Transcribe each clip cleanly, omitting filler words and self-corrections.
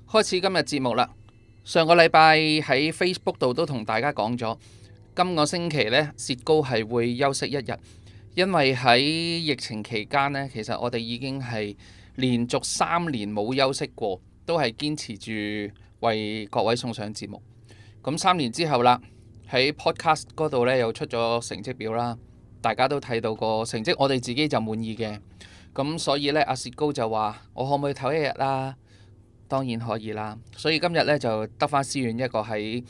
開始今日節目啦。上個禮拜喺 Facebook 度都同大家講咗，今個星期呢，薛高係會休息一日，因為喺疫情期間呢，其實我哋已經係連續3年冇休息過，都係堅持住為各位送上節目。咁3年之後啦，喺 Podcast 嗰度呢又出咗成績表啦，大家都睇到個成績，我哋自己就滿意嘅。咁所以呢，阿薛高就話：我可唔可以唞一日啦？當然可以啦。所以今日呢，就得返思遠一個喺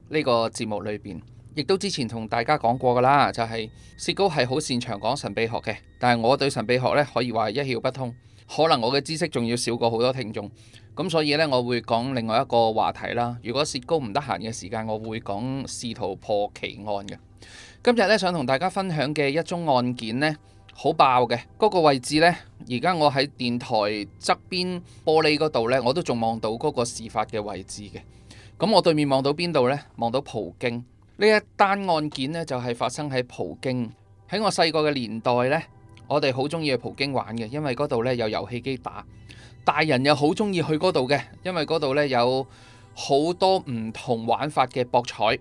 呢個節目裏邊，亦都之前同大家講過噶啦，就係薛高係好擅長講神秘學嘅，但係我對神秘學呢，可以話一竅不通，可能我嘅知識仲要少過好多聽眾。咁所以呢，我會講另外一個話題啦。如果薛高唔得閒嘅時間，我會講試圖破奇案嘅。今日呢，想同大家分享嘅一宗案件呢，好爆嘅，嗰個位置呢，而家我喺電台側邊玻璃嗰度呢，我都仲望到嗰個事發嘅位置嘅。咁我對面望到邊度呢？望到葡京。呢一單案件呢，就係發生喺葡京。喺我細個嘅年代呢，我哋好中意去葡京玩嘅，因為嗰度呢有遊戲機打。大人又好中意去嗰度嘅，因為嗰度呢有好多唔同玩法嘅博彩。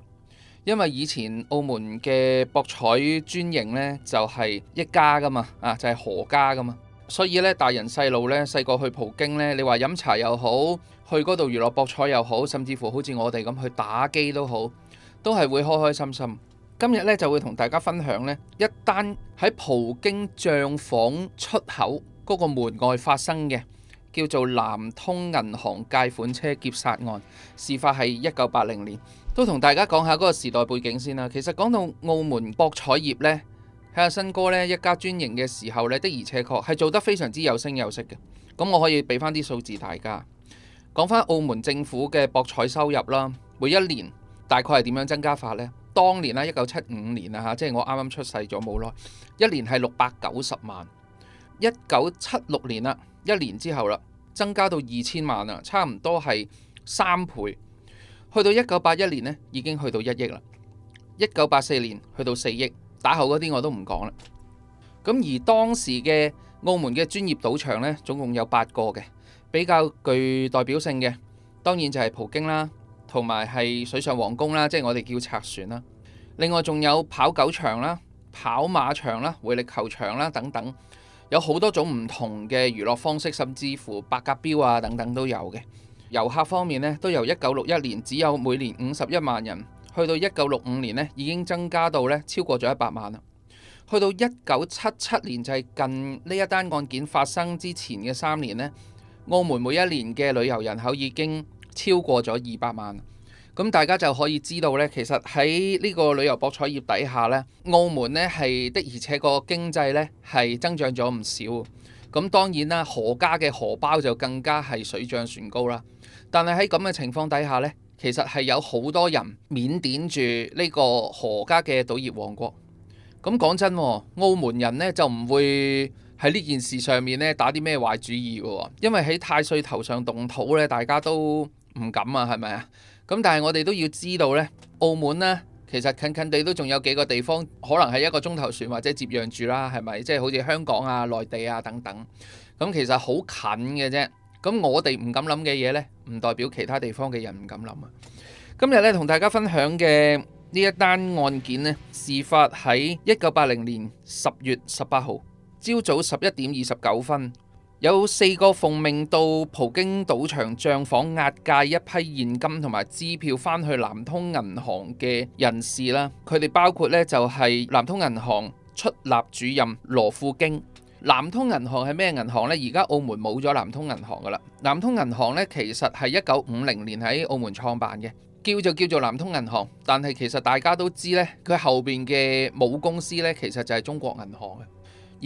因為以前澳門嘅博彩專營呢，就係一家噶嘛，就係何家噶嘛，所以呢，大人細路呢，細個去葡京呢，你話飲茶又好，去嗰度娛樂博彩又好，甚至乎好似我哋咁去打機都好，都係會開開心心。今日呢，就會同大家分享呢一單喺葡京帳房出口嗰個門外發生嘅，叫做南通銀行借款車劫殺案。事發係1980年。都同大家講下嗰個時代背景先啦。其實講到澳門博彩業呢，喺阿新哥呢一家專營嘅時候呢，的而且確係做得非常之有聲有色嘅。咁我可以俾翻啲數字大家講翻澳門政府嘅博彩收入啦。每一年大概係點樣增加法呢？當年啦，1975年啊，即係我啱啱出世咗冇耐，一年係690萬。1976年啦，一年之後啦，增加到2000萬啦，差唔多係3倍。去到1981年呢，已經去到1億啦。1984年去到4億，打後嗰啲我都唔講啦。咁而當時嘅澳門嘅專業賭場呢，總共有8個嘅，比較具代表性嘅，當然就係葡京啦，同埋係水上皇宮啦，即係我哋叫賊船啦。另外仲有跑狗場啦、跑馬場啦、回力球場啦等等，有好多種唔同嘅娛樂方式，甚至乎百甲標啊等等都有嘅。遊客方面呢，都由1961年只有每年51萬人，去到1965年呢已經增加到呢超過咗100萬啦。去到1977年，就係近呢一單案件發生之前嘅3年呢，澳門每一年嘅旅遊人口已經超過咗200萬。咁大家就可以知道呢，其實喺呢個旅遊博彩業底下呢，澳門呢係的而且個經濟呢係增長咗唔少。咁當然啦，何家嘅荷包就更加係水漲船高啦。但係喺咁嘅情況底下呢，其實係有好多人緬甸住呢個何家嘅賭業王國。咁講真，澳門人呢就唔會喺呢件事上面呢打啲咩壞主意嘅，因為喺太歲頭上動土呢，大家都唔敢啊，係咪啊？咁但係我哋都要知道呢，澳門呢其實近近地都仲有幾個地方，可能係1個鐘頭船或者接壤住啦，係咪？即係好似香港啊、內地啊等等。咁其實好近嘅啫。咁我哋唔敢諗嘅嘢呢，唔代表其他地方嘅人唔敢諗啊。今日呢，同大家分享嘅呢一單案件呢，事發喺1980年10月18號朝早11點29分，有4個奉命到葡京賭場帳房押解一批現金同埋支票返去南通銀行嘅人士啦。佢哋包括呢，就係南通銀行出納主任羅富京。南通銀行係咩銀行呢？而家澳門冇咗南通銀行噶啦。南通銀行呢，其實係1950年喺澳門創辦嘅，叫做南通銀行。但係其實大家都知呢，佢後邊嘅母公司呢，其實就係中國銀行嘅。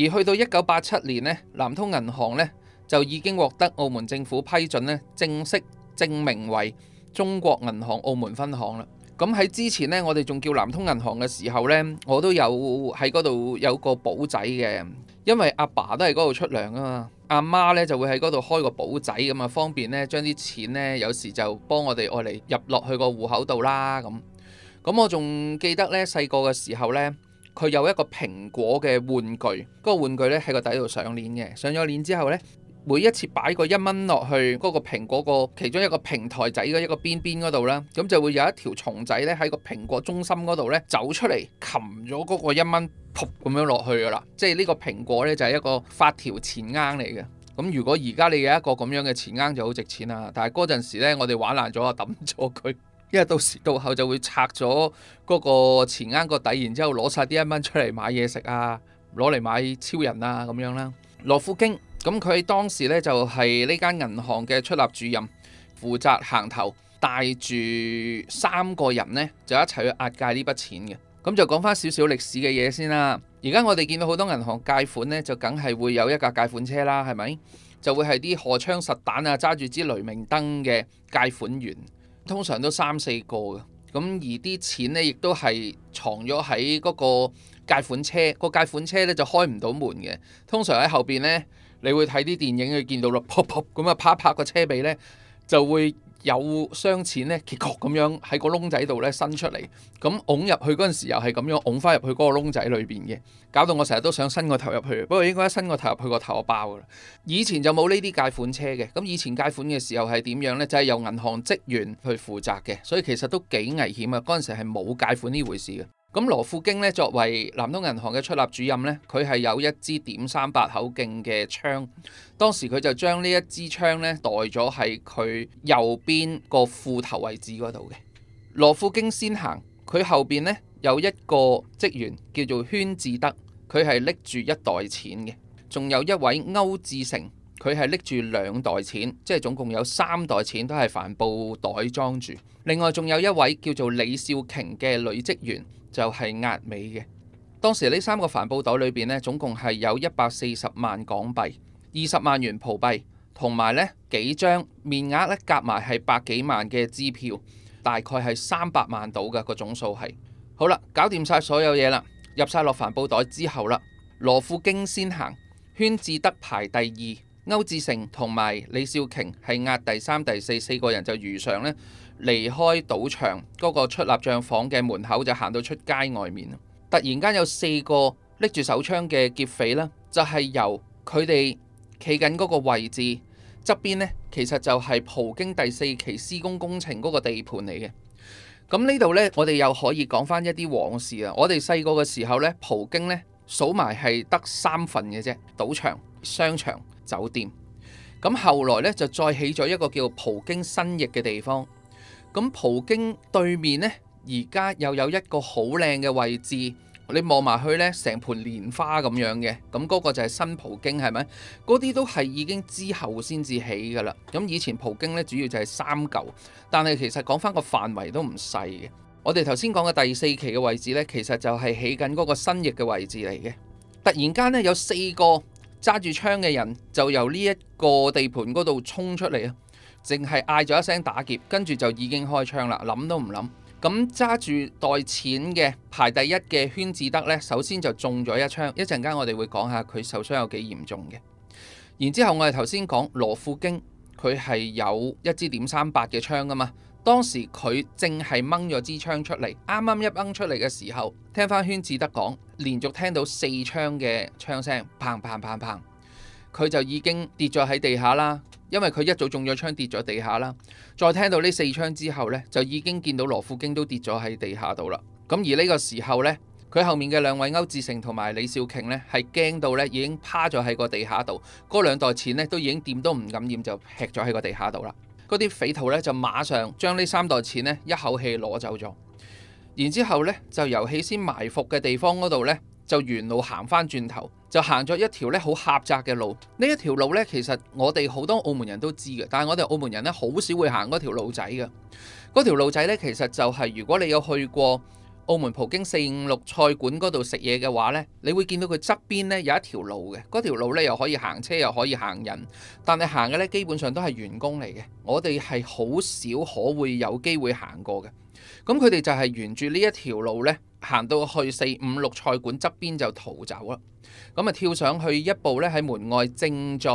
而去到1987年呢，南通銀行呢，就已經獲得澳門政府批准呢，正式正名為中國銀行澳門分行啦。咁喺之前呢，我哋仲叫南通銀行嘅時候呢，我都有喺嗰度有個簿仔嘅，因為阿爸都係嗰度出糧啊嘛，阿媽呢就會喺嗰度開個簿仔咁啊，方便呢將啲錢呢有時就幫我哋愛嚟入落去個戶口度啦咁。咁我仲記得呢，細個嘅時候呢，佢有一個蘋果嘅玩具，嗰個玩具呢喺個底度上鏈嘅，上咗鏈之後呢，每一次擺個1蚊落去嗰個蘋果個其中一個平台仔嘅一個邊邊嗰度啦，咁就會有一條蟲仔咧喺個蘋果中心嗰度咧走出嚟，擒咗嗰個1蚊，噗咁樣落去噶啦。即係呢個蘋果咧就係一個發條錢罌嚟嘅。咁如果而家你有一個咁樣嘅錢罌就好值錢啦，但係嗰陣時咧我哋玩爛咗啊，抌咗佢，因為到時到後就會拆咗嗰個錢罌個底，然之後攞晒啲1蚊出嚟買嘢食啊，攞嚟買超人啊咁樣啦。羅富京咁佢當時咧就係呢間銀行嘅出納主任，負責行頭，帶住3個人呢，就一齊去押解呢筆錢嘅。咁就講翻少少歷史嘅嘢先啦。而家我哋見到好多銀行貸款呢，就梗係會有一架貸款車啦，係咪？就會係啲荷槍實彈啊，揸住支雷明燈嘅貸款員，通常都3、4個嘅。咁而啲錢呢，亦都係藏咗喺嗰個貸款車，個貸款車咧就開唔到門嘅。通常喺後邊呢，你會睇啲電影，你見到咯，噗噗咁啊，拍一拍個車尾呢，就會有箱錢呢，結確咁樣喺個窿仔度呢伸出嚟。咁拱入去嗰陣時，又係咁樣拱翻入去嗰個窿仔裏邊嘅，搞到我成日都想伸個頭入去。不過應該一伸個頭入去個頭就爆噶啦。以前就冇呢啲貸款車嘅。咁以前貸款嘅時候係點樣呢？就係由銀行職員去負責嘅，所以其實都幾危險啊。嗰陣時係冇貸款呢回事嘅。咁羅富京咧作為南通銀行嘅出納主任咧，佢係有一支.38口徑嘅槍，當時佢就將呢一支槍咧袋咗喺佢右邊個褲頭位置嗰度嘅。羅富京先行，佢後邊咧有一個職員叫做禤志德，佢係拎住1袋錢嘅，仲有一位歐志成，佢係拎住2袋錢，即係總共有3袋錢都係帆布袋裝住。另外仲有一位叫做李少瓊嘅女職員，就係押尾嘅。當時呢3個帆布袋裏邊呢，總共係有140萬港幣、20萬元葡幣，同埋呢幾張面額咧夾埋係100幾萬嘅支票，大概係300萬到嘅個總數係。好啦，搞掂晒所有嘢啦，入晒落帆布袋之後啦，羅富京先行，禤志德排第2，歐志成同埋李少瓊係押第3、第4，4個人就如常呢離開賭場嗰個出納帳房嘅門口，就行到出街外面。突然間有4個拎住手槍嘅劫匪啦，就係由佢哋企緊嗰個位置側邊呢，其實就係葡京第4期施工工程嗰個地盤嚟嘅。咁呢度呢，我哋又可以講翻一啲往事啊。我哋細個嘅時候呢，葡京呢數埋係得3份嘅啫，賭場、商場、酒店。咁後來呢，就再起咗一個叫葡京新翼嘅地方。咁葡京對面呢，而家又有一個好靚嘅位置，你望埋去呢，成盤蓮花咁樣嘅，咁嗰個就係新葡京，係咪？嗰啲都係已經之後先至起噶啦。咁以前葡京呢，主要就係3嚿，但係其實講翻個範圍都唔細嘅。我哋頭先講嘅第4期嘅位置呢，其實就係起緊嗰個新翼嘅位置嚟嘅。突然間呢，有4個揸住槍嘅人就由呢一個地盤嗰度衝出嚟啊！淨係嗌咗一聲打劫，跟住就已經開槍啦，諗都唔諗。咁揸住袋錢嘅排第1嘅禤志德呢，首先就中咗一槍，一陣間我哋會講下佢受傷有幾嚴重嘅。然之後我哋頭先講羅富京，佢係有一支.38嘅槍噶嘛，當時佢正係掹咗支槍出嚟，啱啱一掹出嚟嘅時候，聽翻禤志德講，連續聽到4槍嘅槍聲，砰砰砰砰，佢就已經跌咗喺地下啦。因為佢一早中咗槍跌咗地下啦，再聽到呢4槍之後呢，就已經見到羅富京都跌咗喺地下度啦。咁而呢個時候呢，佢後面嘅2位歐志成同埋李少瓊呢，係驚到呢已經趴咗喺個地下度，嗰2袋錢呢，都已經掂都唔敢掂，就劈咗喺個地下度啦。嗰啲匪徒呢，就馬上將呢3袋錢呢一口氣攞走咗，然之後呢，就由起先埋伏嘅地方嗰度呢，就沿路行翻轉頭，就行咗一條咧好狹窄嘅路。呢一條路咧，其實我哋好多澳門人都知嘅，但係我哋澳門人咧好少會行嗰條路仔嘅。嗰條路仔咧，其實就係如果你有去過澳門葡京456菜館嗰度食嘢嘅話咧，你會見到佢側邊咧有一條路嘅。嗰條路咧又可以行車又可以行人，但係行嘅咧基本上都係員工嚟嘅。我哋係好少可會有機會行過嘅。咁佢哋就係沿住呢一條路呢，行到去456菜館側邊就逃走啦。咁啊跳上去一部呢，喺門外正在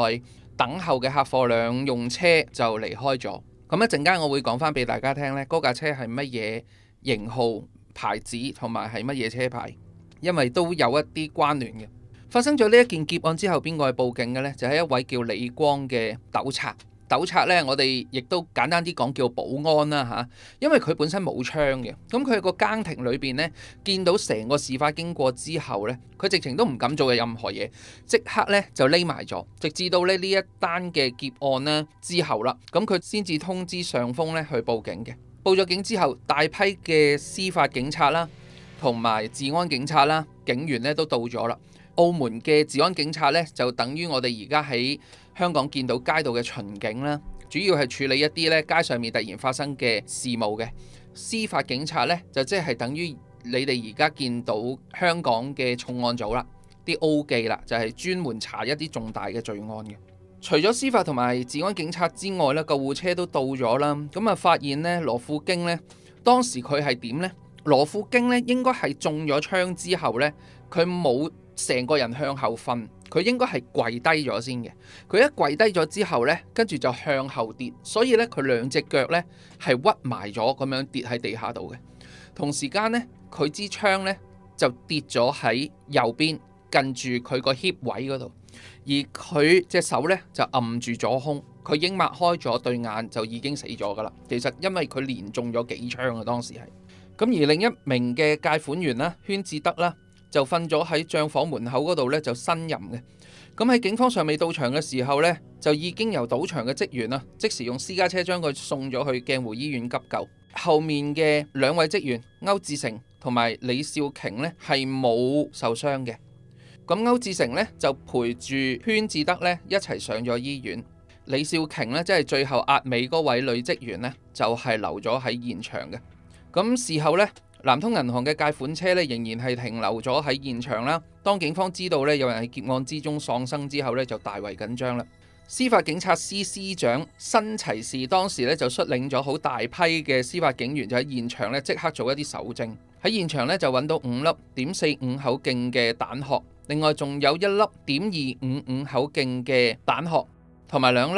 等候嘅客貨兩用車就離開咗。咁一陣間我會講翻俾大家聽呢，嗰架車係乜嘢型號、牌子同埋係乜嘢車牌，因為都有一啲關聯嘅。發生咗呢一件劫案之後，邊個去報警嘅呢？就係一位叫李光嘅糾察。糾察呢，我哋亦都簡單啲講叫保安啦嚇，因為佢本身冇槍嘅。咁佢喺個更亭裏邊呢，見到成個事發經過之後呢，佢直情都唔敢做嘅任何嘢，即刻呢就匿埋咗，直至到呢一單嘅劫案呢之後啦，咁佢先至通知上峰呢去報警嘅。報咗警之後，大批嘅司法警察啦，同埋治安警察啦、警員呢都到咗啦。澳門嘅治安警察呢，就等於我哋而家喺香港見到街道嘅巡警啦，主要係處理一啲咧街上面突然發生嘅事務嘅。司法警察呢，就即係等於你哋而家見到香港嘅重案組啦，啲 O 記啦，就係專門查一啲重大嘅罪案嘅。除咗司法同埋治安警察之外咧，救護車都到咗啦。咁啊，發現呢羅富京呢，當時佢係點呢？羅富京呢應該係中咗槍之後呢，佢冇成個人向後瞓，佢應該係跪低咗先嘅。佢一跪低咗之後呢，跟住就向後跌，所以呢，佢兩隻腳呢係屈埋咗咁樣跌喺地下度嘅。同時間呢，佢支槍呢就跌咗喺右邊近住佢個 hip 位嗰度，而佢隻手呢就揞住左胸，佢已經擘開咗對眼就已經死咗噶啦。其實因為佢連中咗幾槍啊，當時係咁。而另一名嘅介款員啦，禤志德啦，就瞓咗喺帳房門口嗰度咧，就呻吟嘅。咁喺警方尚未到場嘅時候呢，就已經由賭場嘅職員啦，即時用私家車將佢送咗去鏡湖醫院急救。後面嘅兩位職員歐志成同埋李少瓊呢，係冇受傷嘅。咁歐志成呢，就陪住禤志德呢一齊上咗醫院。李少瓊呢，即係最後押尾嗰位女職員呢，就係留咗喺現場嘅。咁事後呢，南通銀行嘅借款車咧，仍然係停留咗喺現場啦。當警方知道咧有人喺劫案之中喪生之後咧，就大為緊張啦。司法警察司司長新齊士當時咧就率領咗好大批嘅司法警員，就喺現場咧即刻做一啲搜證。喺現場咧就揾到5粒.45口徑嘅彈殼，另外仲有1粒.255口徑嘅彈殼，同埋2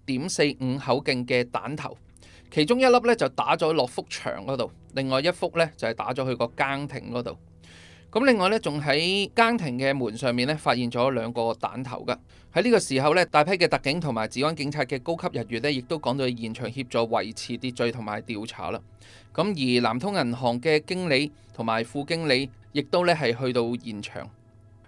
粒.45口徑嘅彈頭。其中1粒咧就打咗落幅牆嗰度，另外1幅咧就係打咗去個更亭嗰度。咁另外咧仲喺更亭嘅門上面咧發現咗2個彈頭㗎。喺呢個時候咧，大批嘅特警同埋治安警察嘅高級人員咧，亦都趕到去現場協助維持秩序同埋調查啦。咁而南通銀行嘅經理同埋副經理亦都咧係去到現場。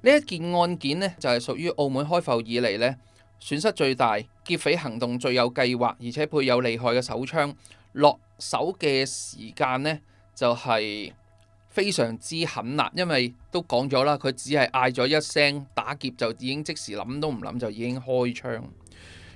呢一件案件呢，就係屬於澳門開埠以嚟咧損失最大、劫匪行動最有計劃，而且配有厲害嘅手槍，落手嘅時間呢，就係非常之狠辣，因為都講咗啦，佢只係嗌咗一聲打劫就已經即時諗都唔諗就已經開槍。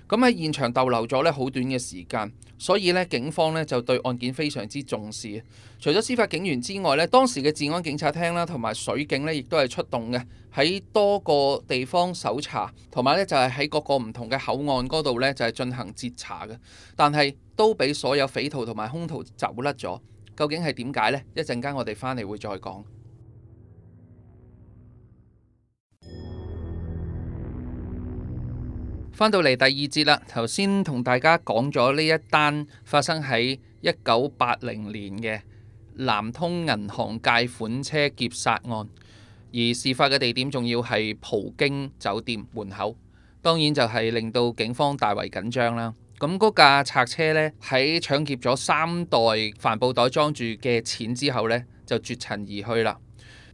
咁喺現場逗留咗咧好短嘅時間，所以咧警方咧就對案件非常之重視。除咗司法警員之外咧，當時嘅治安警察廳啦同埋水警咧亦都係出動嘅，喺多個地方搜查，同埋咧就係喺各個唔同嘅口岸嗰度咧就係進行截查嘅。但係都俾所有匪徒同埋兇徒走甩咗。究竟係點解呢？一陣間我哋翻嚟會再講。翻到嚟第二節啦，頭先同大家講咗呢一單發生喺1980年嘅南通銀行借款車劫殺案，而事發嘅地點仲要係葡京酒店門口，當然就係令到警方大為緊張啦。咁嗰架賊車呢，喺搶劫咗3袋帆布袋裝住嘅錢之後呢，就絕塵而去啦。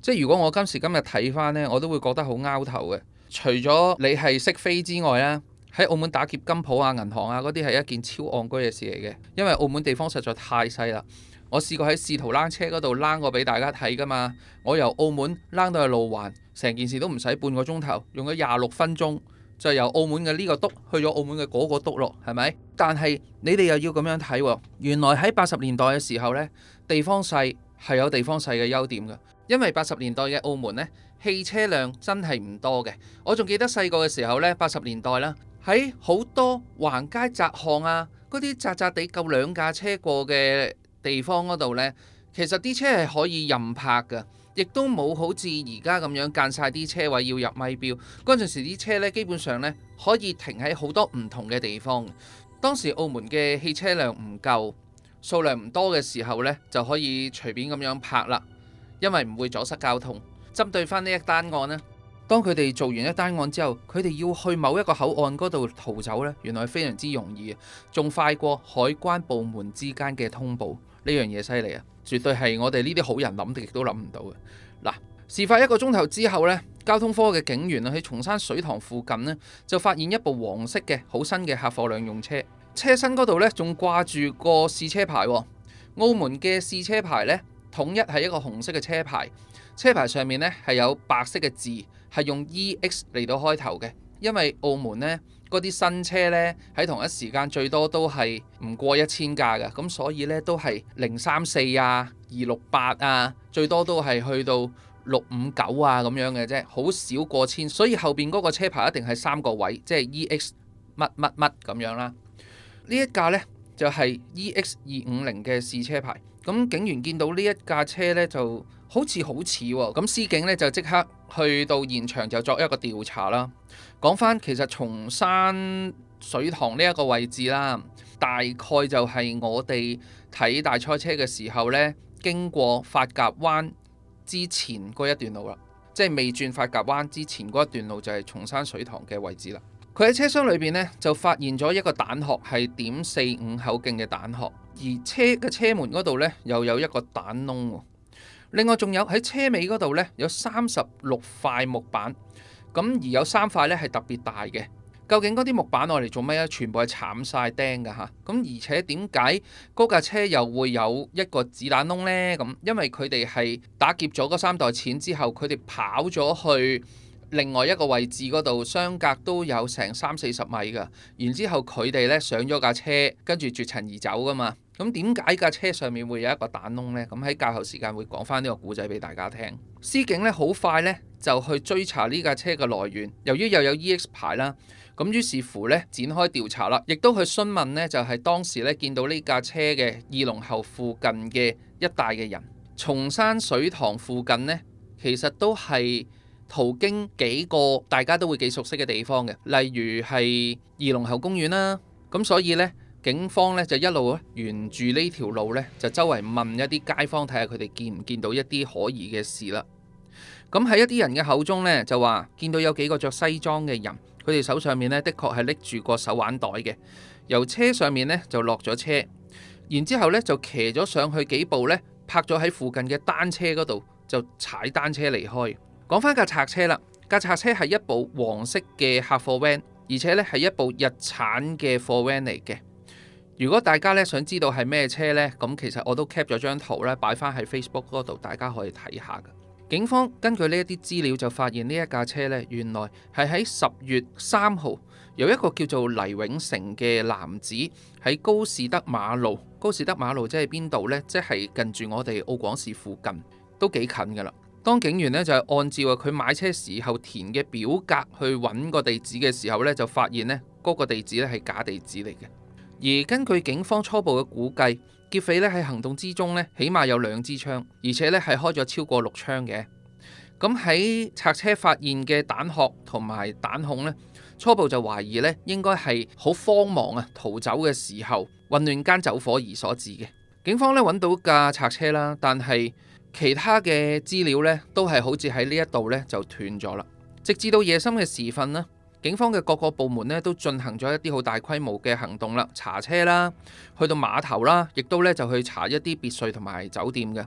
即係如果我今時今日睇翻呢，我都會覺得好拗頭嘅。除咗你係識飛之外啦，喺澳門打劫金鋪啊、銀行啊嗰啲係一件超戇居嘅事嚟嘅，因為澳門地方實在太細啦。我試過喺試圖躝車嗰度躝過俾大家睇噶嘛，我由澳門躝到去路環，成件事都唔使半個鐘頭，用咗26分鐘。就由澳門嘅呢個篤去咗澳門嘅嗰個篤咯，係咪？但係你哋又要咁樣睇喎，原來喺80年代嘅時候呢，地方細係有地方細嘅優點嘅，因為80年代嘅澳門呢，汽車輛真係唔多嘅。我仲記得細個嘅時候呢，80年代啦，喺好多橫街窄巷啊，嗰啲窄窄地夠2架車過嘅地方嗰度呢，其實啲車係可以任泊㗎。亦都冇好似而家咁樣間晒啲車位要入咪標，嗰陣時啲車呢，基本上呢可以停喺好多唔同嘅地方。當時澳門嘅汽車輛唔夠，數量唔多嘅時候呢，就可以隨便咁樣泊啦，因為唔會阻塞交通。針對翻呢一單案呢，當佢哋做完一單案之後，佢哋要去某一個口岸嗰度逃走呢，原來非常之容易，仲快過海關部門之間嘅通報。呢樣嘢犀利啊，絕對係我哋呢啲好人諗亦都諗唔到嘅。嗱，事發1個鐘頭之後呢，交通科嘅警員喺松山水塘附近呢，就發現一部黃色嘅好新嘅客貨兩用車，車身嗰度呢，仲掛住個試車牌。澳門嘅試車牌呢，統一係一個紅色嘅車牌，車牌上面呢係有白色嘅字，係用 EX 嚟到開頭嘅。因為澳門呢嗰啲新車呢，喺同一時間最多都係唔過1000架嘅，咁所以呢都係034啊、268啊，最多都係去到659啊咁樣嘅啫，好少過千，所以後邊嗰個車牌一定係3個位，即係 EX 乜乜乜咁樣啦。呢一架呢，就係 EX250嘅試車牌，咁警員見到呢一架車呢，就好似喎，咁司警呢，就即刻去到現場就作一個調查啦。講翻其實松山水塘呢一個位置啦，大概就係我哋睇大賽車嘅時候呢，經過發夾灣之前嗰一段路啦，即係未轉發夾灣之前嗰一段路就係松山水塘嘅位置啦。佢喺車廂裏邊呢，就發現咗一個彈殼，係.45口徑嘅彈殼，而車嘅車門嗰度呢，又有一個彈窿。另外仲有喺車尾嗰度呢，有36塊木板，咁而有3塊呢係特別大嘅。究竟嗰啲木板我嚟做咩咧？全部係鏟晒釘㗎嚇。咁而且點解嗰架車又會有一個子彈窿呢？咁因為佢哋係打劫咗嗰3袋錢之後，佢哋跑咗去另外一個位置嗰度，相隔都有成30-40米㗎。然之後佢哋呢上咗架車，跟住絕塵而走㗎嘛。咁點解架車上面會有一個彈窿呢？咁喺較後時間會講翻呢個故仔俾大家聽。司警呢好快呢就去追查呢架車嘅來源，由於又有 EX 牌啦，咁於是乎呢展開調查啦，亦都去詢問呢就係當時呢見到呢架車嘅二龍喉附近嘅一帶嘅人。松山水塘附近呢，其實都係途經幾個大家都會幾熟悉嘅地方嘅，例如係二龍喉公園啦。咁所以呢，警方咧就一路沿住呢條路咧，就周圍問一啲街坊，睇下佢哋見唔見到一啲可疑嘅事啦。咁喺一啲人嘅口中咧，就話見到有幾個着西裝嘅人，佢哋手上面咧的確係拎住個手環袋嘅，由車上面咧就落咗車，然之後咧就騎咗上去幾步咧，泊咗喺附近嘅單車嗰度，就踩單車離開。講翻架賊車啦，架賊車係一部黃色嘅客貨 van，而且咧係一部日產嘅貨 van 嚟嘅。如果大家咧想知道係咩車呢，咁其實我都 cap 咗張圖咧，擺翻喺 Facebook 嗰度，大家可以睇下㗎。警方根據呢一啲資料就發現呢一架車呢，原來係喺10月3號由一個叫做黎永成嘅男子喺高士德馬路，高士德馬路即係邊度呢？即係近住我哋澳廣市附近，都幾近㗎啦。當警員呢就係按照佢買車時候填嘅表格去揾個地址嘅時候呢，就發現呢嗰個地址咧係假地址嚟嘅。而根據警方初步嘅估計，劫匪咧喺行動之中咧，起碼有2支槍，而且咧係開咗超過6槍嘅。咁喺賊車發現嘅彈殼同埋彈孔咧，初步就懷疑咧應該係好慌忙啊逃走嘅時候混亂間走火而所致嘅。警方咧揾到架賊車啦，但係其他嘅資料咧都係好似喺呢一度咧就斷咗啦。直至到夜深嘅時分呢，警方嘅各個部門咧都進行咗一啲好大規模嘅行動啦，查車啦，去到碼頭啦，亦都咧就去查一啲別墅同埋酒店嘅。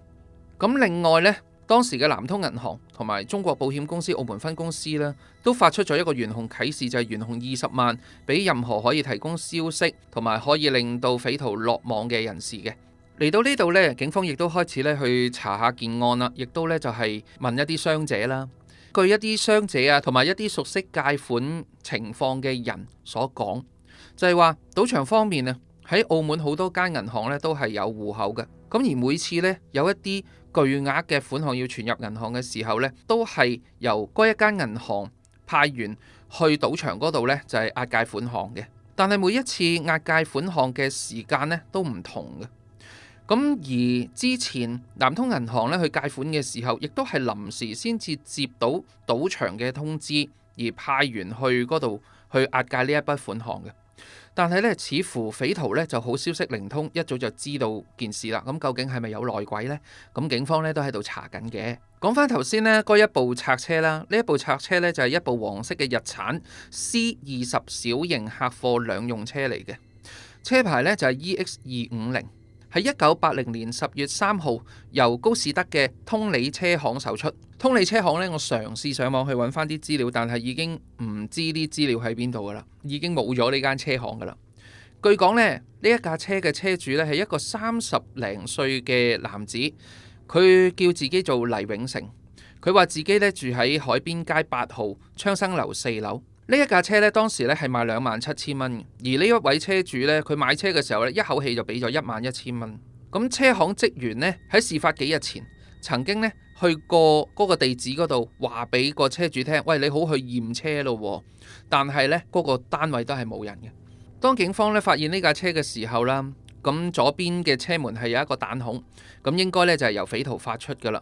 咁另外呢，當時嘅南通銀行同埋中國保險公司澳門分公司呢，都發出咗一個懸紅啟事，就係懸紅20萬俾任何可以提供消息同埋可以令到匪徒落網嘅人士嘅。嚟到呢度呢，警方亦都開始咧去查下件案啦，亦都咧就係問一啲傷者啦。據一啲傷者啊，同埋一啲熟悉借款情況嘅人所講，就係話賭場方面啊，喺澳門好多間銀行咧都係有戶口嘅。咁而每次咧有一啲巨額嘅款項要存入銀行嘅時候咧，都係由嗰一間銀行派員去賭場嗰度咧，就係押解款項嘅。但係每一次押解款項嘅時間咧都唔同嘅。咁而之前南通銀行咧去借款嘅時候，亦都係臨時先至接到賭場嘅通知，而派員去嗰度去押解呢一筆款項嘅。但係咧，似乎匪徒咧就好消息靈通，一早就知道件事啦。咁究竟係咪有內鬼呢？咁警方咧都喺度查緊嘅。講翻頭先呢，嗰一部賊車啦，呢一部賊車咧就係一部黃色嘅日產 C20小型客貨兩用車嚟嘅，車牌咧就係 EX250，喺1980年10月3號由高士德嘅通利車行售出。通利車行呢，我嘗試上網去揾翻啲資料，但係已經唔知啲資料喺邊度噶啦，已經冇咗呢間車行噶啦。據講呢，呢一架車嘅車主呢係一個30零歲嘅男子，佢叫自己做黎永成，佢話自己呢住喺海邊街8號昌生樓4樓。呢一架車呢，當時呢係賣27,000蚊，而呢一位車主呢，佢買車嘅時候呢，一口氣就俾咗11,000蚊。咁車行職員呢，喺事發幾日前曾經呢去過嗰個地址嗰度，話俾個車主聽，喂，你好去驗車咯。但係呢，嗰個單位都係冇人嘅。當警方呢發現呢架車嘅時候啦，咁左邊嘅車門係有一個彈孔，咁應該呢就係由匪徒發出噶啦。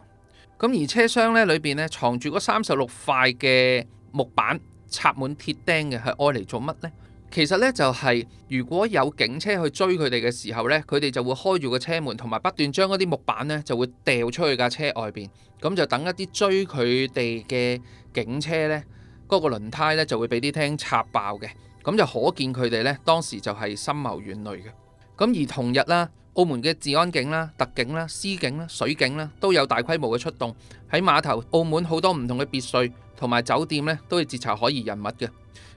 咁而車廂呢裏邊呢藏住嗰36塊嘅木板，插滿鐵釘嘅，係愛嚟做乜呢？其實呢，就係如果有警車去追佢哋嘅時候呢，佢哋就會開住個車門，同埋不斷將嗰啲木板呢就會掉出去架車外邊，咁就等一啲追佢哋嘅警車呢，嗰個輪胎呢就會俾啲釘插爆嘅，咁就可見佢哋呢當時就係深謀遠慮嘅。咁而同日啦，澳門嘅治安警啦、特警啦、司警啦、水警啦都有大規模嘅出動喺碼頭。澳門好多唔同嘅別墅同埋酒店呢都要截查可疑人物嘅。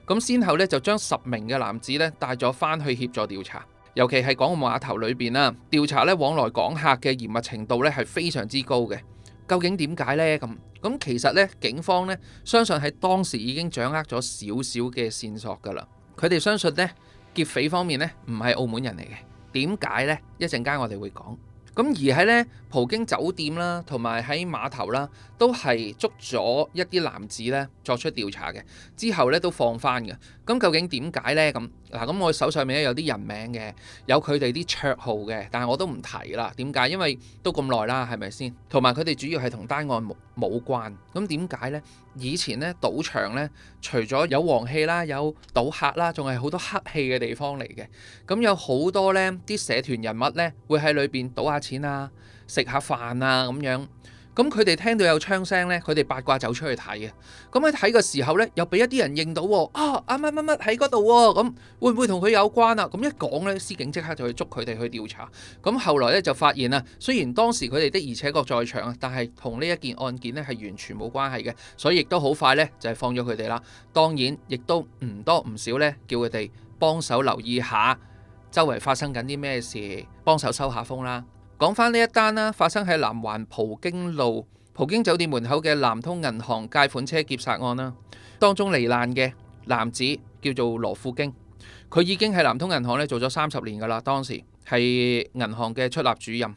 咁先後咧就將10名嘅男子咧帶咗翻去協助調查，尤其係港澳碼頭裏邊啦，調查咧往來港客嘅嚴密程度咧係非常之高嘅。究竟點解呢？咁其實咧警方咧相信喺當時已經掌握咗少少嘅線索㗎啦。佢哋相信呢劫匪方面咧唔係澳門人嚟嘅。點解呢？一陣間我哋會講。咁而喺呢葡京酒店啦，同埋喺碼頭啦，都係捉咗一啲男子咧作出調查嘅，之後咧都放翻嘅。咁究竟點解呢？咁我手上面咧有啲人名嘅，有佢哋啲綽號嘅，但係我都唔提啦。點解？因為都咁耐啦，係咪先？同埋佢哋主要係同單案冇關。咁點解呢？以前呢賭場呢，除咗有黃氣啦，有賭客啦，仲係好多黑氣嘅地方嚟嘅。咁有好多呢啲社團人物呢，會喺裏邊賭下錢啊，食下飯啊咁樣。咁佢哋聽到有槍聲呢，佢哋八卦走出去睇嘅。咁喺睇嘅時候呢，又俾一啲人認到喎，啊乜乜乜喺嗰度喎。咁會唔會同佢有關啊？咁一講呢，司警即刻就去捉佢哋去調查。咁後來呢，就發現啊，雖然當時佢哋的而且確在場啊，但係同呢一件案件呢係完全冇關係嘅，所以亦都好快呢，就係放咗佢哋啦。當然亦都唔多唔少呢，叫佢哋幫手留意下周圍發生緊啲咩事，幫手收下風啦。講翻呢一單啦，發生喺南環葡京路葡京酒店門口嘅南通銀行借款車劫殺案啦。當中罹難嘅男子叫做羅富京，佢已經喺南通銀行咧做咗30年噶啦，當時係銀行嘅出納主任，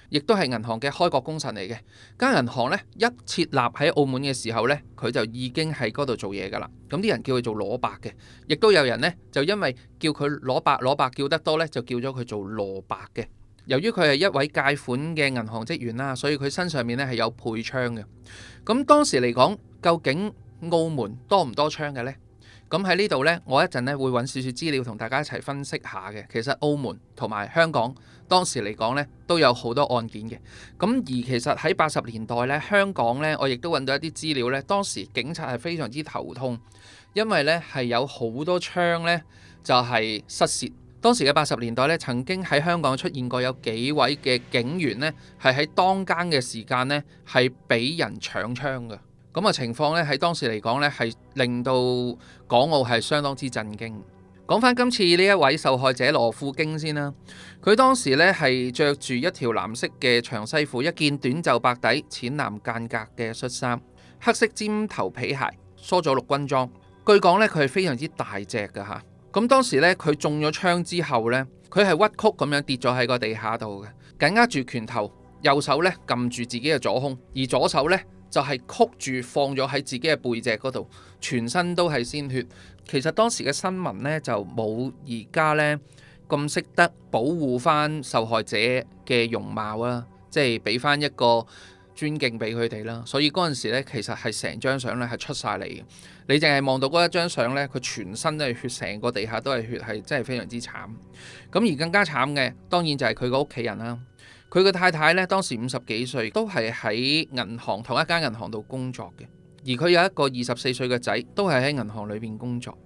亦都係銀行嘅開國功臣嚟嘅。間銀行咧一設立喺澳門嘅時候咧，佢就已經喺嗰度做嘢噶啦。咁啲人叫佢做羅伯嘅，亦都有人呢，就因為叫佢羅伯叫得多咧，就叫咗佢做羅伯嘅。由於佢係一位借款嘅銀行職員啦，所以佢身上面咧係有配槍嘅。咁當時嚟講，究竟澳門多唔多槍嘅呢？咁喺呢度呢，我一陣咧會揾少少資料同大家一齊分析下嘅。其實澳門同埋香港當時嚟講呢，都有好多案件嘅。咁而其實喺80年代呢，香港呢，我亦都揾到一啲資料呢，當時警察係非常之頭痛，因為呢係有好多槍呢就係失竊。當時嘅80年代咧，曾經喺香港出現過有幾位嘅警員呢，係喺當更嘅時間呢，係俾人搶槍嘅。咁嘅情況呢，喺當時嚟講呢，係令到港澳係相當之震驚。講翻今次呢一位受害者羅富京先啦，佢當時呢係着住一條藍色嘅長西褲，一件短袖白底淺藍間隔嘅恤衫，黑色尖頭皮鞋，梳咗綠軍裝。據講呢，佢係非常之大隻㗎嚇。咁當時咧，佢中咗槍之後咧，佢係屈曲咁樣跌咗喺個地下度嘅，緊握住拳頭，右手咧撳住自己嘅左胸，而左手咧就係曲住放咗喺自己嘅背脊嗰度，全身都係鮮血。其實當時嘅新聞咧就冇而家咧咁識得保護翻受害者嘅容貌啊，即係俾翻一個尊敬俾佢哋啦。所以嗰陣時咧，其實係成張相咧係出晒嚟嘅。你淨係望到嗰一張相咧，佢全身都係血，成個地下都係血，係真係非常之慘。咁而更加慘嘅，當然就係佢個屋企人啦。佢個太太咧當時50幾歲，都係喺銀行同一間銀行度工作嘅。而佢有一個24歲嘅仔，都係喺銀行裏邊工作。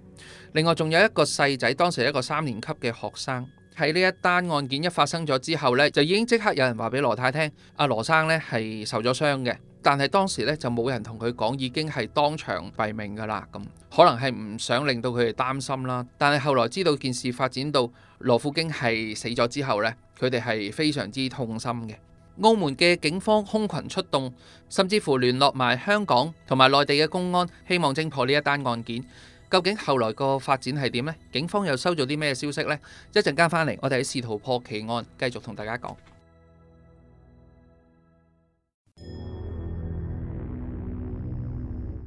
另外仲有一個細仔，當時係一個3年級嘅學生。喺呢一單案件一發生咗之後呢，就已經即刻有人話俾羅太聽，阿羅生呢係受咗傷嘅。但係當時呢，就冇人同佢講，已經係當場斃命噶啦。咁可能係唔想令到佢哋擔心啦。但係後來知道件事發展到羅富京係死咗之後呢，佢哋係非常之痛心嘅。澳門嘅警方空群出動，甚至乎聯絡埋香港同埋內地嘅公安，希望偵破呢一單案件。究竟後來個發展係點呢？警方又收咗啲咩消息呢？一陣間返嚟，我哋喺試圖破奇案，繼續同大家講。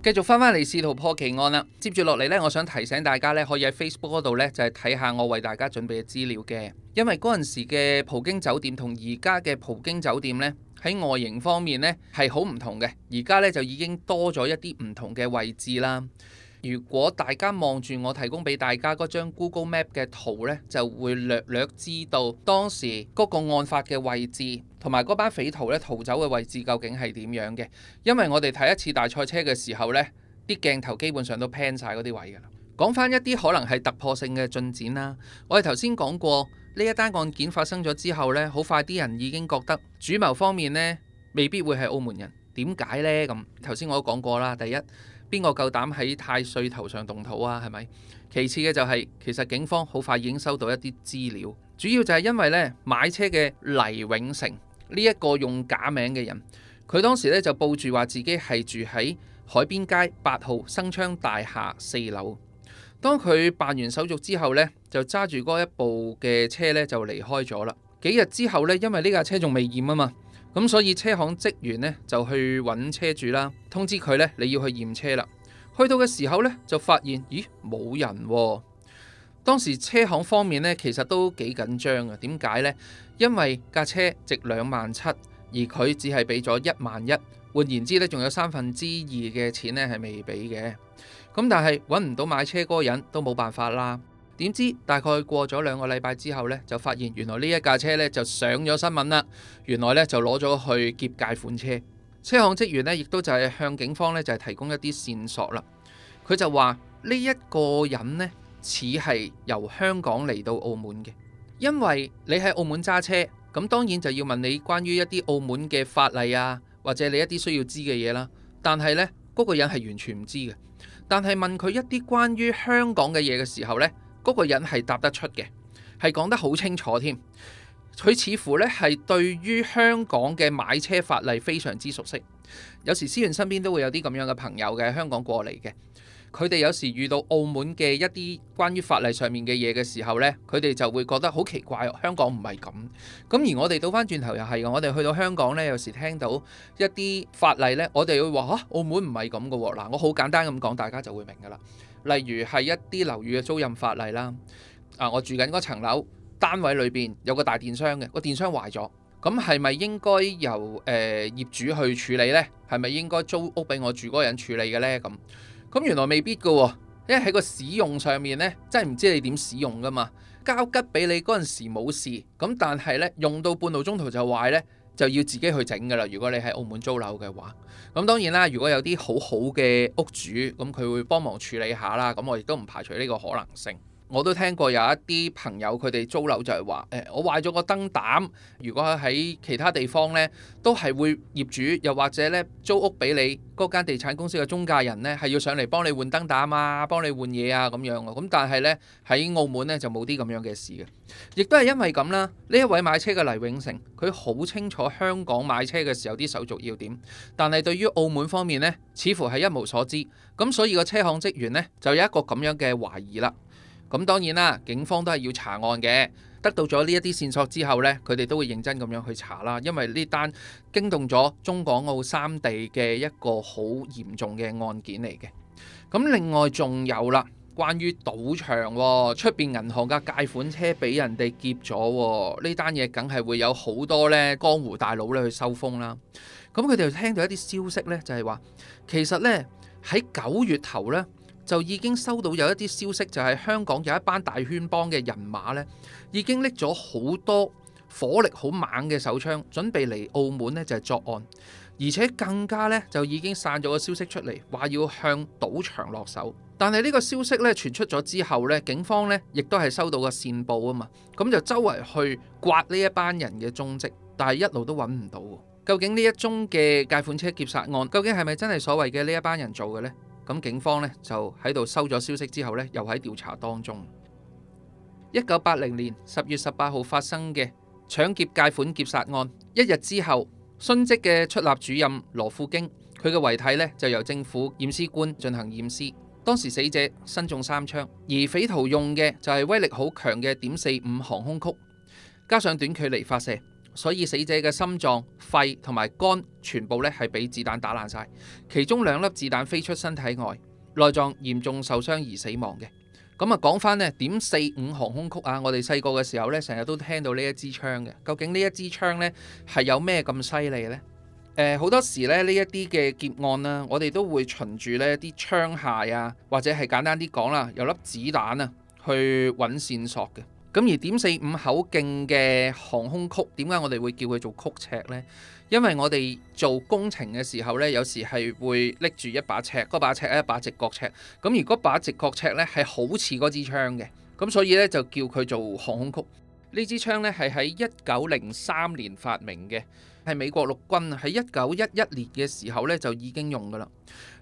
繼續翻嚟試圖破奇案啦。接住落嚟呢，我想提醒大家呢，可以喺 Facebook 嗰度呢，就係睇下我為大家準備嘅資料嘅。因為嗰陣時嘅葡京酒店同而家嘅葡京酒店呢，喺外形方面呢係好唔同嘅。而家呢，就已經多咗一啲唔同嘅位置啦。如果大家望住我提供俾大家嗰張 Google Map 嘅圖呢，就會略略知道當時嗰個案發嘅位置同埋嗰班匪徒咧逃走嘅位置究竟係點樣嘅。因為我哋睇一次大賽車嘅時候呢，啲鏡頭基本上都 pan 晒嗰啲位㗎啦。講翻一啲可能係突破性嘅進展啦。我哋頭先講過呢一單案件發生咗之後呢，好快啲人已經覺得主謀方面呢未必會係澳門人。點解呢？咁頭先我都講過啦。第一，邊個夠膽喺太歲頭上動土啊？係咪？其次嘅就係，其實警方好快已經收到一啲資料，主要就係因為呢買車嘅黎永成呢一個用假名嘅人，佢當時呢就報住話自己係住喺海邊街8號生昌大廈4樓。當佢辦完手續之後呢，就揸住嗰一部嘅車呢就離開咗啦。幾日之後呢，因為呢架車仲未驗啊嘛，咁所以車行職員呢就去揾車主啦，通知佢呢你要去驗車啦。去到嘅時候呢，就發現咦冇人喎。當時車行方面呢其實都幾緊張啊。點解呢？因為架車值27000，而佢只係俾咗11000，換言之呢，仲有2/3嘅錢呢係未俾嘅。咁但係揾唔到買車嗰個人都冇辦法啦。點知大概過咗2個禮拜之後呢，就發現原來呢一架車呢就上咗新聞啦。原來呢就攞咗去劫解款車。車行職員呢亦都就係向警方呢就係提供一啲線索啦。佢就話呢一個人呢似係由香港嚟到澳門嘅，因為你喺澳門揸車，咁當然就要問你關於一啲澳門嘅法例啊，或者你一啲需要知嘅嘢啦。但係呢嗰個人係完全唔知嘅。但係問佢一啲關於香港嘅嘢嘅時候呢，嗰個人係答得出嘅，係講得好清楚添。佢似乎呢係對於香港嘅買車法例非常之熟悉。有時思源身邊都會有啲咁樣嘅朋友嘅，香港過嚟嘅。佢哋有時遇到澳門嘅一啲關於法例上面嘅嘢嘅時候呢，佢哋就會覺得好奇怪，香港唔係咁。咁而我哋倒翻轉頭又係嘅，我哋去到香港呢，有時聽到一啲法例呢，我哋會話澳門唔係咁嘅喎。嗱，我好簡單咁講，大家就會明㗎啦。例如係一啲樓宇嘅租賃法例啦。我住緊嗰層樓單位裏邊有個大電箱嘅，個電箱壞咗，咁係咪應該由業主去處理呢？係咪應該租屋俾我住嗰個人處理嘅呢？咁原來未必㗎喎，因為喺個使用上面呢，真係唔知你點使用㗎嘛。交吉俾你嗰陣時冇事，咁但係呢，用到半路中途就壞呢，就要自己去整㗎啦。如果你喺澳門租樓嘅話，咁當然啦，如果有啲好好嘅屋主，咁佢會幫忙處理下啦。咁我亦都唔排除呢個可能性。我都聽過有一啲朋友佢哋租樓就係話，我壞咗個燈膽，如果喺其他地方呢，都係會業主又或者呢租屋俾你嗰間地產公司嘅中介人呢，係要上嚟幫你換燈膽啊，幫你換嘢啊咁樣。咁但係呢，喺澳門呢就冇啲咁樣嘅事嘅，亦都係因為咁啦。呢一位買車嘅黎永成，佢好清楚香港買車嘅時候啲手續要點，但係對於澳門方面呢，似乎係一無所知。咁所以個車行職員呢，就有一個咁樣嘅懷疑啦。咁當然啦，警方都係要查案嘅。得到咗呢一啲線索之後呢，佢哋都會認真咁樣去查啦。因為呢單驚動咗中港澳三地嘅一個好嚴重嘅案件嚟嘅。咁另外仲有啦，關於賭場喎，出邊銀行嘅貸款車俾人哋劫咗喎，呢單嘢梗係會有好多咧江湖大佬咧去收風啦。咁佢哋就聽到一啲消息咧，就係話其實咧喺9月頭咧就已經收到有一啲消息，就係香港有一班大圈幫嘅人馬咧已經拎咗好多火力好猛嘅手槍，準備嚟澳門咧就係作案。而且更加咧就已經散咗個消息出嚟，話要向賭場落手。但係呢個消息咧傳出咗之後咧，警方咧亦都係收到個線報啊嘛，咁就周圍去刮呢一班人嘅蹤跡，但係一路都揾唔到。究竟呢一宗嘅解款車劫殺案，究竟係咪真係所謂嘅呢一班人做嘅呢？咁警方咧就喺度收咗消息之後咧，又喺調查當中。1980年10月18號發生嘅搶劫解款劫殺案，一日之後，殉職嘅出納主任羅富京，佢嘅遺體咧就由政府驗屍官進行驗屍。當時死者身中3槍，而匪徒用嘅就係威力好強嘅.45航空曲，加上短距離發射，所以死者嘅心臟、肺同埋肝全部咧係俾子彈打爛晒，其中2粒子彈飛出身體外，內臟嚴重受傷而死亡嘅。咁啊，講翻呢.45航空曲啊，我哋細個嘅時候呢，成日都聽到呢一支槍嘅。究竟呢一支槍呢係有咩咁犀利呢？好多時咧呢一啲嘅劫案啦，我哋都會循住呢啲槍械啊，或者係簡單啲講啦，有粒子彈啊去揾線索嘅。咁而.45口徑嘅航空曲，點解我哋會叫佢做曲尺呢？因為我哋做工程嘅時候呢，有時係會拎住一把尺，嗰把尺係一把直角尺。咁而嗰把直角尺呢，係好似嗰支槍嘅，咁所以呢，就叫佢做航空曲。呢支槍呢，係喺1903年發明嘅，係美國陸軍喺1911年嘅時候呢，就已經用噶啦。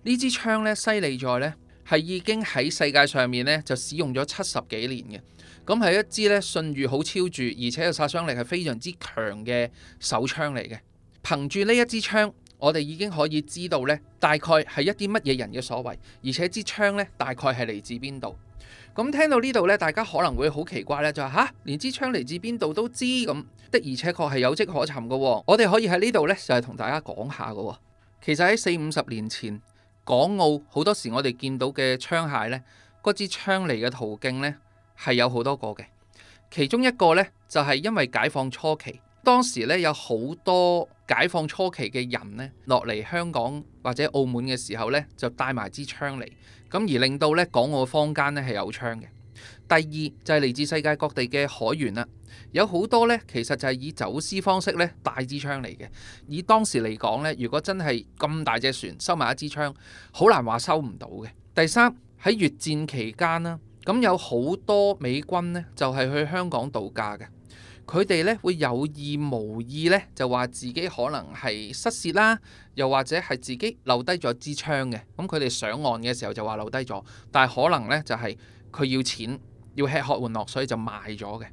呢支槍呢，犀利在呢，係已經喺世界上面呢，就使用咗70幾年嘅。咁係一支呢，信譽好超著，而且個殺傷力係非常之強嘅手槍嚟嘅。憑住呢一支槍，我哋已經可以知道呢，大概係一啲乜嘢人嘅所為，而且支槍呢，大概係嚟自邊度。咁聽到呢度呢，大家可能會好奇怪咧，就話連支槍嚟自邊度都知，咁的而且確係有跡可尋嘅。我哋可以喺呢度呢，就係同大家講下嘅。其實喺40-50年前，港澳好多時我哋見到嘅槍械呢，嗰支槍嚟嘅途徑呢，係有好多個嘅。其中一個呢，就係因為解放初期，當時呢，有好多解放初期嘅人呢，落嚟香港或者澳門嘅時候呢，就帶埋支槍嚟，咁而令到呢港澳坊間呢係有槍嘅。第二就係嚟自世界各地嘅海員啦，有好多呢其實就係以走私方式呢帶支槍嚟嘅。以當時嚟講呢，如果真係咁大隻船收埋一支槍，好難話收唔到嘅。第三，喺越戰期間啦，咁有好多美軍呢就係去香港度假嘅。佢哋咧會有意無意咧就話自己可能係失竊啦，又或者係自己留低咗支槍嘅。咁佢哋上岸嘅時候就話留低咗，但係可能咧就係佢要錢，要吃喝玩樂，所以就賣咗嘅。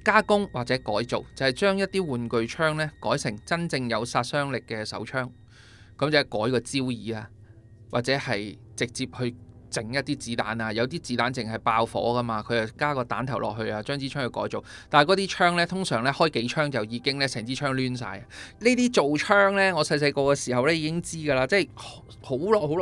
加工或者改造就係將一啲玩具槍咧改成真正有殺傷力嘅手槍，咁就係改個焦耳啊，或者係直接去整一啲子彈啊，有啲子彈淨係爆火噶嘛，佢就加個彈頭落去啊，將支槍去改造。但係嗰啲槍呢，通常呢開幾槍就已經呢成支槍攣晒。呢啲做槍呢，我細細個嘅時候呢已經知㗎啦，即係好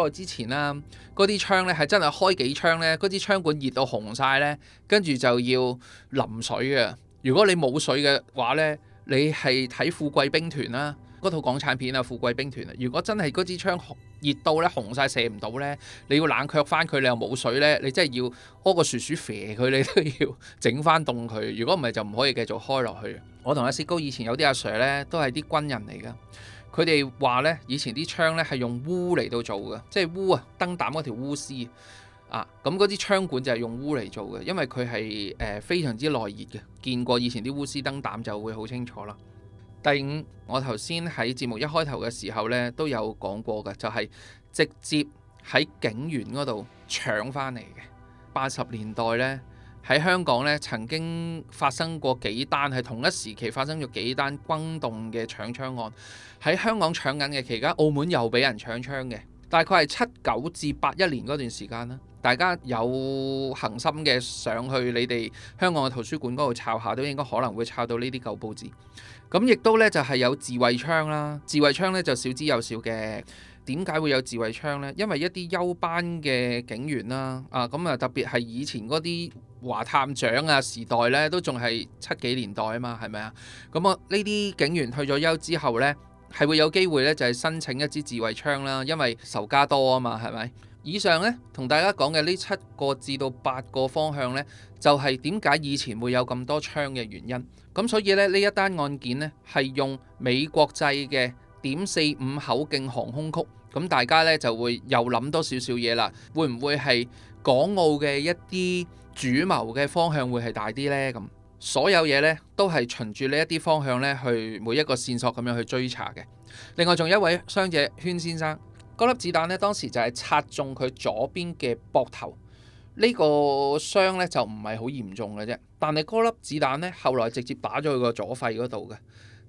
耐之前啦。嗰啲槍呢係真係開幾槍呢，嗰支槍管熱到紅晒呢，跟住就要淋水嘅。如果你冇水嘅話呢，你係睇富貴兵團啦。嗰套港產片啊，富貴兵團啊，如果真係嗰支槍熱到咧紅晒射唔到咧，你要冷卻翻佢，你又冇水咧，你真係要屙個薯薯啡佢，你都要整翻凍佢。如果唔係就唔可以繼續開落去。我同阿薛高以前有啲阿 Sir 咧，都係啲軍人嚟噶，佢哋話咧以前啲槍咧係用鎢嚟到做嘅，即係鎢啊，燈膽嗰條鎢絲啊，咁嗰啲槍管就係用鎢嚟做嘅，因為佢係非常之耐熱嘅。見過以前啲鎢絲燈膽就會好清楚啦。第五，我頭先喺節目一開頭嘅時候呢都有講過嘅，就係直接喺警員嗰度搶翻嚟嘅。80年代呢，喺香港呢曾經發生過幾單，係同一時期發生咗幾單轟動嘅搶槍案。喺香港搶緊嘅期間，澳門又俾人搶槍嘅，大概係79至81年嗰段時間啦。大家有恆心嘅上去你哋香港嘅圖書館嗰度抄下，都應該可能會抄到呢啲舊報紙。咁亦都咧就係有自衛槍啦，自衛槍咧就少之又少嘅。點解會有自衛槍呢？因為一啲休班嘅警員啦，咁啊特別係以前嗰啲華探長啊時代呢，都仲係70幾年代啊嘛，係咪啊？咁啊呢啲警員退咗休之後呢，係會有機會呢，就係申請一支自衛槍啦，因為仇家多啊嘛，係咪？以上呢，同大家講嘅呢7個至到8個方向呢，就係點解以前會有咁多槍嘅原因。咁所以呢，呢一單案件呢，係用美國製嘅.45口徑航空曲，咁大家呢，就會又諗多少少嘢啦。會唔會係港澳嘅一啲主謀嘅方向會係大啲呢？咁所有嘢呢，都係循住呢一啲方向呢，去每一個線索咁樣去追查嘅。另外仲有一位傷者禤先生。嗰粒子彈呢，當時就係擦中佢左邊嘅膊頭，呢個傷呢，就唔係好嚴重嘅啫。但係嗰粒子彈呢，後來直接打咗佢個左肺嗰度嘅，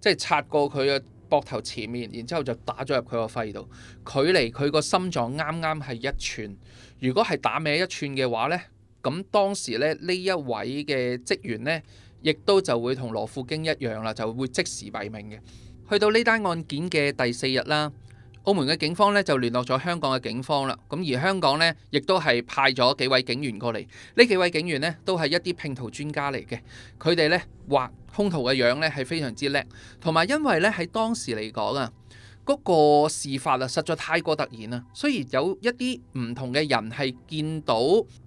即係擦過佢嘅膊頭前面，然之後就打咗入佢個肺度，距離佢個心臟啱啱係1寸。如果係打歪1寸嘅話呢，咁當時呢，呢一位嘅職員呢，亦都就會同羅富京一樣啦，就會即時斃命嘅。去到呢單案件嘅第4日啦。澳門嘅警方咧就聯絡咗香港嘅警方啦，咁而香港呢，亦都係派咗幾位警員過嚟，呢幾位警員呢，都係一啲拼圖專家嚟嘅，佢哋呢，畫兇徒嘅樣呢係非常之叻，同埋因為呢，喺當時嚟講啊，嗰個事發啊實在太過突然啦，雖然有一啲唔同嘅人係見到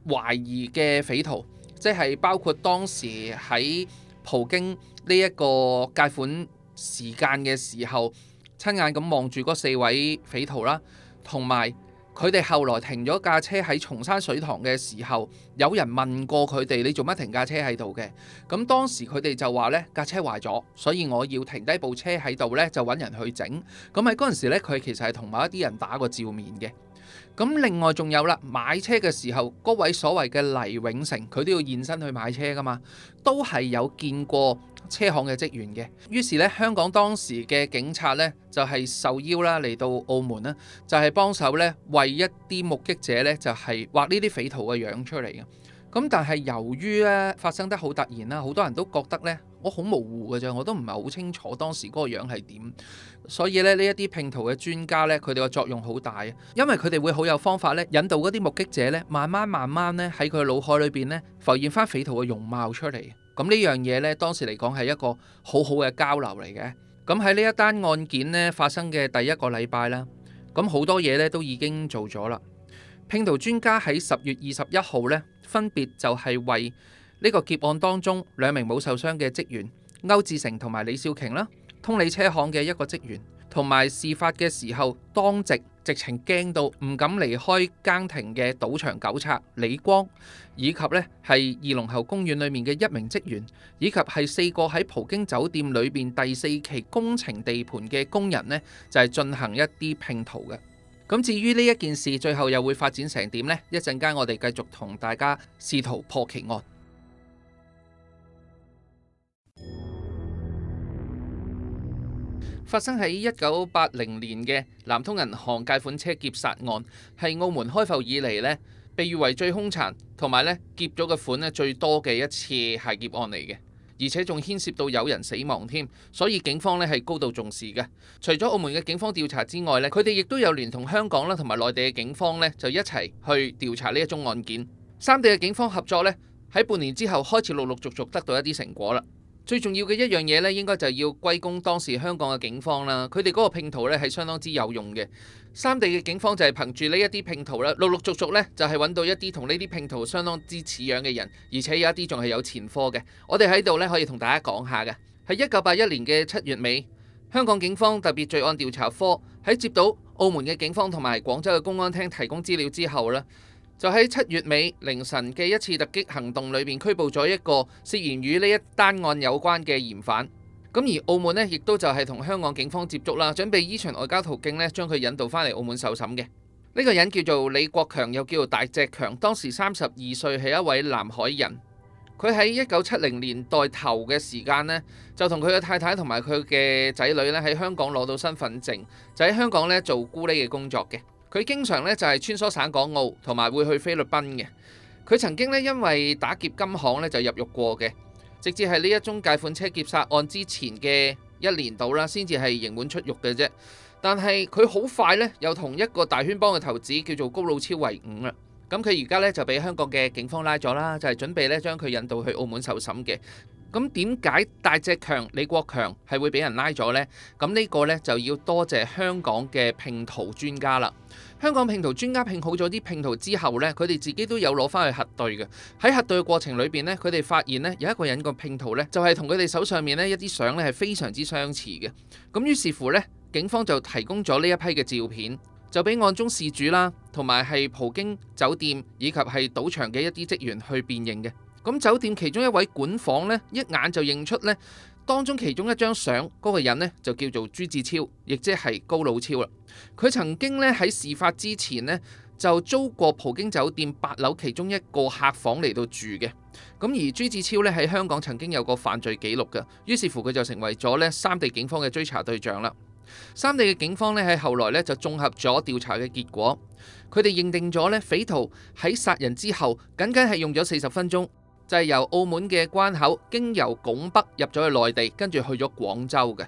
懷疑嘅匪徒，即係包括當時喺葡京呢一個解款時間嘅時候，親眼咁望住嗰4位匪徒啦，同埋佢哋後來停咗架車喺松山水塘嘅時候，有人問過佢哋：你做乜停架車喺度嘅？咁當時佢哋就話呢架車壞咗，所以我要停低部車喺度呢，就揾人去整。咁喺嗰陣時呢，佢其實係同某一啲人打過照面嘅。咁另外仲有啦，買車嘅時候，嗰位所謂嘅黎永成，佢都要現身去買車噶嘛，都係有見過車行嘅職員嘅。於是咧，香港當時嘅警察咧就係受邀啦嚟到澳門啦，就係幫手咧為一啲目擊者咧就係畫呢啲匪徒嘅樣出嚟嘅。咁但係由於咧發生得好突然啦，好多人都覺得咧我好模糊嘅啫，我都唔係好清楚當時嗰個樣係點。所以咧呢一啲拼圖嘅專家咧，佢哋個作用好大，因為佢哋會好有方法咧引導嗰啲目擊者咧慢慢咧喺佢腦海裏邊咧浮現翻匪徒嘅容貌出嚟。咁呢樣嘢咧當時嚟講係一個好好嘅交流嚟嘅。咁喺呢一單案件咧發生嘅第1個禮拜啦，咁好多嘢咧都已經做咗啦。拼圖專家喺10月21號咧，分別就係為呢個劫案當中2名冇受傷嘅職員歐志成同埋李少瓊啦，通利車行嘅一個職員，同埋事發嘅時候當值直情驚到唔敢離開更亭嘅賭場狗賊李光，以及咧係二龍喉公園裏面嘅1名職員，以及係4個喺葡京酒店裏邊第4期工程地盤嘅工人呢，就係進行一啲拼圖嘅。咁至於呢一件事最後又會發展成點呢？一陣間我哋繼續同大家試圖破奇案。發生喺1980年嘅南通銀行借款車劫殺案，係澳門開埠以嚟呢被譽為最兇殘同埋呢劫咗嘅款呢最多嘅一次械劫案嚟嘅。而且仲牽涉到有人死亡添，所以警方呢係高度重視嘅。除咗澳門嘅警方調查之外呢，佢哋亦都有聯同香港啦同埋內地嘅警方呢，就一齊去調查呢一宗案件。三地嘅警方合作呢，喺半年之後開始陸陸續續得到一啲成果啦。最重要嘅一樣嘢呢，應該就要歸功當時香港嘅警方啦。佢哋嗰個拼圖呢係相當之有用嘅。三地嘅警方就係憑住呢一啲拼圖啦，陸陸續續呢就係揾到一啲同呢啲拼圖相當之似樣嘅人，而且有一啲仲係有前科嘅。我哋喺度呢可以同大家講下嘅，喺1981年嘅7月尾，香港警方特別罪案調查科喺接到澳門嘅警方同埋廣州嘅公安廳提供資料之後呢，就喺7月尾凌晨嘅一次突擊行動裏邊拘捕咗一個涉嫌與呢一單案有關嘅嫌犯。咁而澳門呢，亦都就係同香港警方接觸啦，準備依循外交途徑呢，將佢引導翻嚟澳門受審嘅。呢個人叫做李國強，又叫做大隻強，當時32歲，係一位南海人。佢喺1970年代頭嘅時間呢，就同佢嘅太太同埋佢嘅仔女呢喺香港攞到身份證，就喺香港呢做咕喱嘅工作嘅。佢經常呢就係穿梭省港澳，同埋會去菲律賓嘅。佢曾經呢因為打劫金行呢就入獄過嘅。直至係呢一宗借款車劫殺案之前嘅1年度啦，先至係刑滿出獄嘅啫。但係佢好快呢，又同一個大圈幫嘅頭子叫做高老超為伍啦。咁佢而家呢，就俾香港嘅警方拉咗啦，就係準備呢將佢引渡去澳門受審嘅。咁點解大隻強李國強係會俾人拉咗呢？咁呢個呢，就要多謝香港嘅拼圖專家啦。香港拼圖專家拼好咗啲拼圖之後呢，佢哋自己都有攞翻去核對嘅。喺核對嘅過程裏邊呢，佢哋發現呢，有一個人個拼圖呢，就係同佢哋手上面呢一啲相呢係非常之相似嘅。咁於是乎呢，警方就提供咗呢一批嘅照片，就俾案中事主啦，同埋係葡京酒店以及係賭場嘅一啲職員去辨認嘅。咁酒店其中一位管房呢，一眼就認出呢，當中其中一張相嗰個人呢，就叫做朱志超，亦即係高老超啦。佢曾經呢，喺事發之前呢，就租過葡京酒店8樓其中一個客房嚟到住嘅。咁而朱志超呢，喺香港曾經有過犯罪記錄嘅，於是乎佢就成為咗呢三地警方嘅追查對象啦。三地嘅警方呢，喺後來呢，就綜合咗調查嘅結果，佢哋認定咗呢，匪徒喺殺人之後僅僅係用咗40分鐘。就係由澳門嘅關口經由拱北入咗去內地，跟住去咗廣州嘅。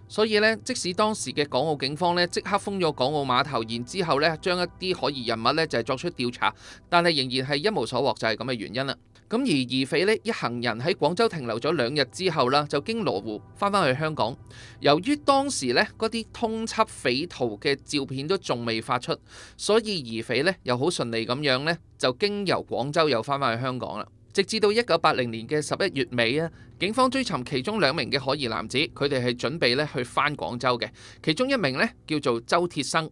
所以呢，即使當時嘅港澳警方呢，即刻封咗港澳碼頭，然之後呢，將一啲可疑人物呢，就係作出調查，但係仍然係一無所獲，就係咁嘅原因啦。咁而疑匪呢，一行人喺廣州停留咗2日之後啦，就經羅湖翻返去香港。由於當時呢，嗰啲通緝匪徒嘅照片都仲未發出，所以疑匪呢，又好順利咁樣呢，就經由廣州又翻返去香港啦。直至到1980年嘅11月尾啊，警方追尋其中2名嘅可疑男子，佢哋係準備咧去返廣州嘅。其中一名咧叫做周鐵生，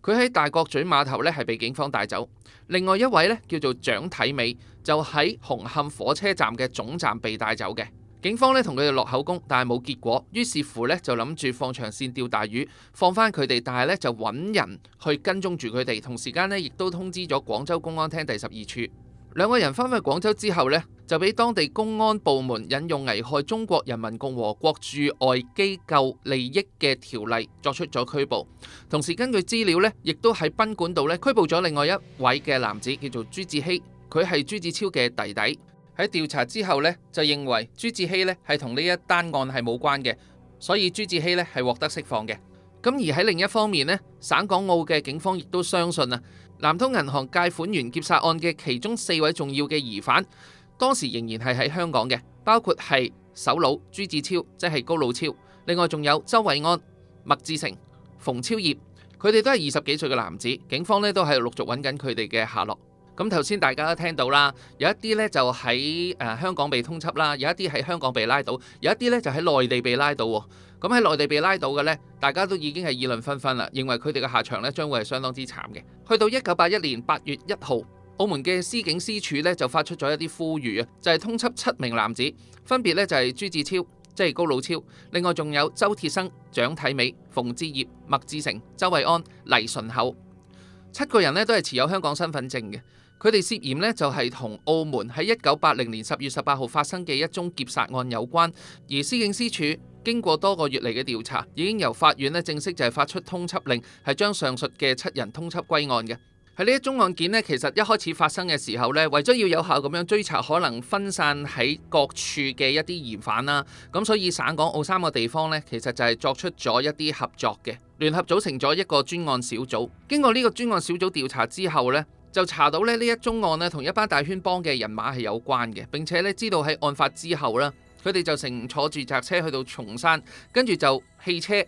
佢喺大角咀碼頭咧係被警方帶走。另外一位咧叫做蔣體美，就喺紅磡火車站嘅總站被帶走嘅。警方咧同佢哋落口供，但係冇結果，於是乎咧就諗住放長線釣大魚，放翻佢哋，但係咧就揾人去跟蹤住佢哋，同時間咧亦都通知咗廣州公安廳第12處。2個人翻返去廣州之後呢，就俾當地公安部門引用危害中國人民共和國駐外機構利益嘅條例作出咗拘捕。同時根據資料呢，亦都喺賓館度呢拘捕咗另外一位嘅男子，叫做朱志希，佢係朱志超嘅弟弟。喺調查之後呢，就認為朱志希呢係同呢一單案係冇關嘅，所以朱志希呢係獲得釋放嘅。咁而喺另一方面呢，省港澳嘅警方亦都相信啊，南通銀行借款員劫殺案嘅其中4位重要嘅疑犯，當時仍然係喺香港嘅，包括係首腦朱志超，即係高老超，另外仲有周偉安、麥志成、馮超業，佢哋都係20幾歲嘅男子，警方呢都係陸續揾緊佢哋嘅下落。咁頭先大家都聽到啦，有一啲呢就喺香港被通緝啦，有一啲喺香港被拉到，有一啲呢就喺內地被拉到喎。咁喺內地被拉到嘅呢，大家都已經係議論紛紛啦，認為佢哋嘅下場呢將會係相當之慘嘅。去到1981年8月1號，澳門嘅司警司處呢就發出咗一啲呼籲啊，就係通緝7名男子，分別呢就係朱志超，即係高老超，另外仲有周鐵生、蔣體美、馮志業、麥志成、周偉安、黎順厚，7個人呢都係持有香港身份證嘅。佢哋涉嫌呢就係同澳門喺1980年10月18號發生嘅一宗劫殺案有關，而司警司處經過多個月嚟嘅調查，已經由法院呢正式就係發出通緝令，係將上述嘅7人通緝歸案嘅。喺呢一宗案件呢，其實一開始發生嘅時候呢，為咗要有效咁樣追查可能分散喺各處嘅一啲疑犯啦，咁所以省港澳3個地方呢，其實就係作出咗一啲合作嘅，聯合組成咗一個專案小組。經過呢個專案小組調查之後呢，就查到呢一宗案呢同一班大圈幫嘅人馬係有關嘅，並且呢知道喺案發之後呢，佢哋就乘坐住宅車去到松山，跟住就汽車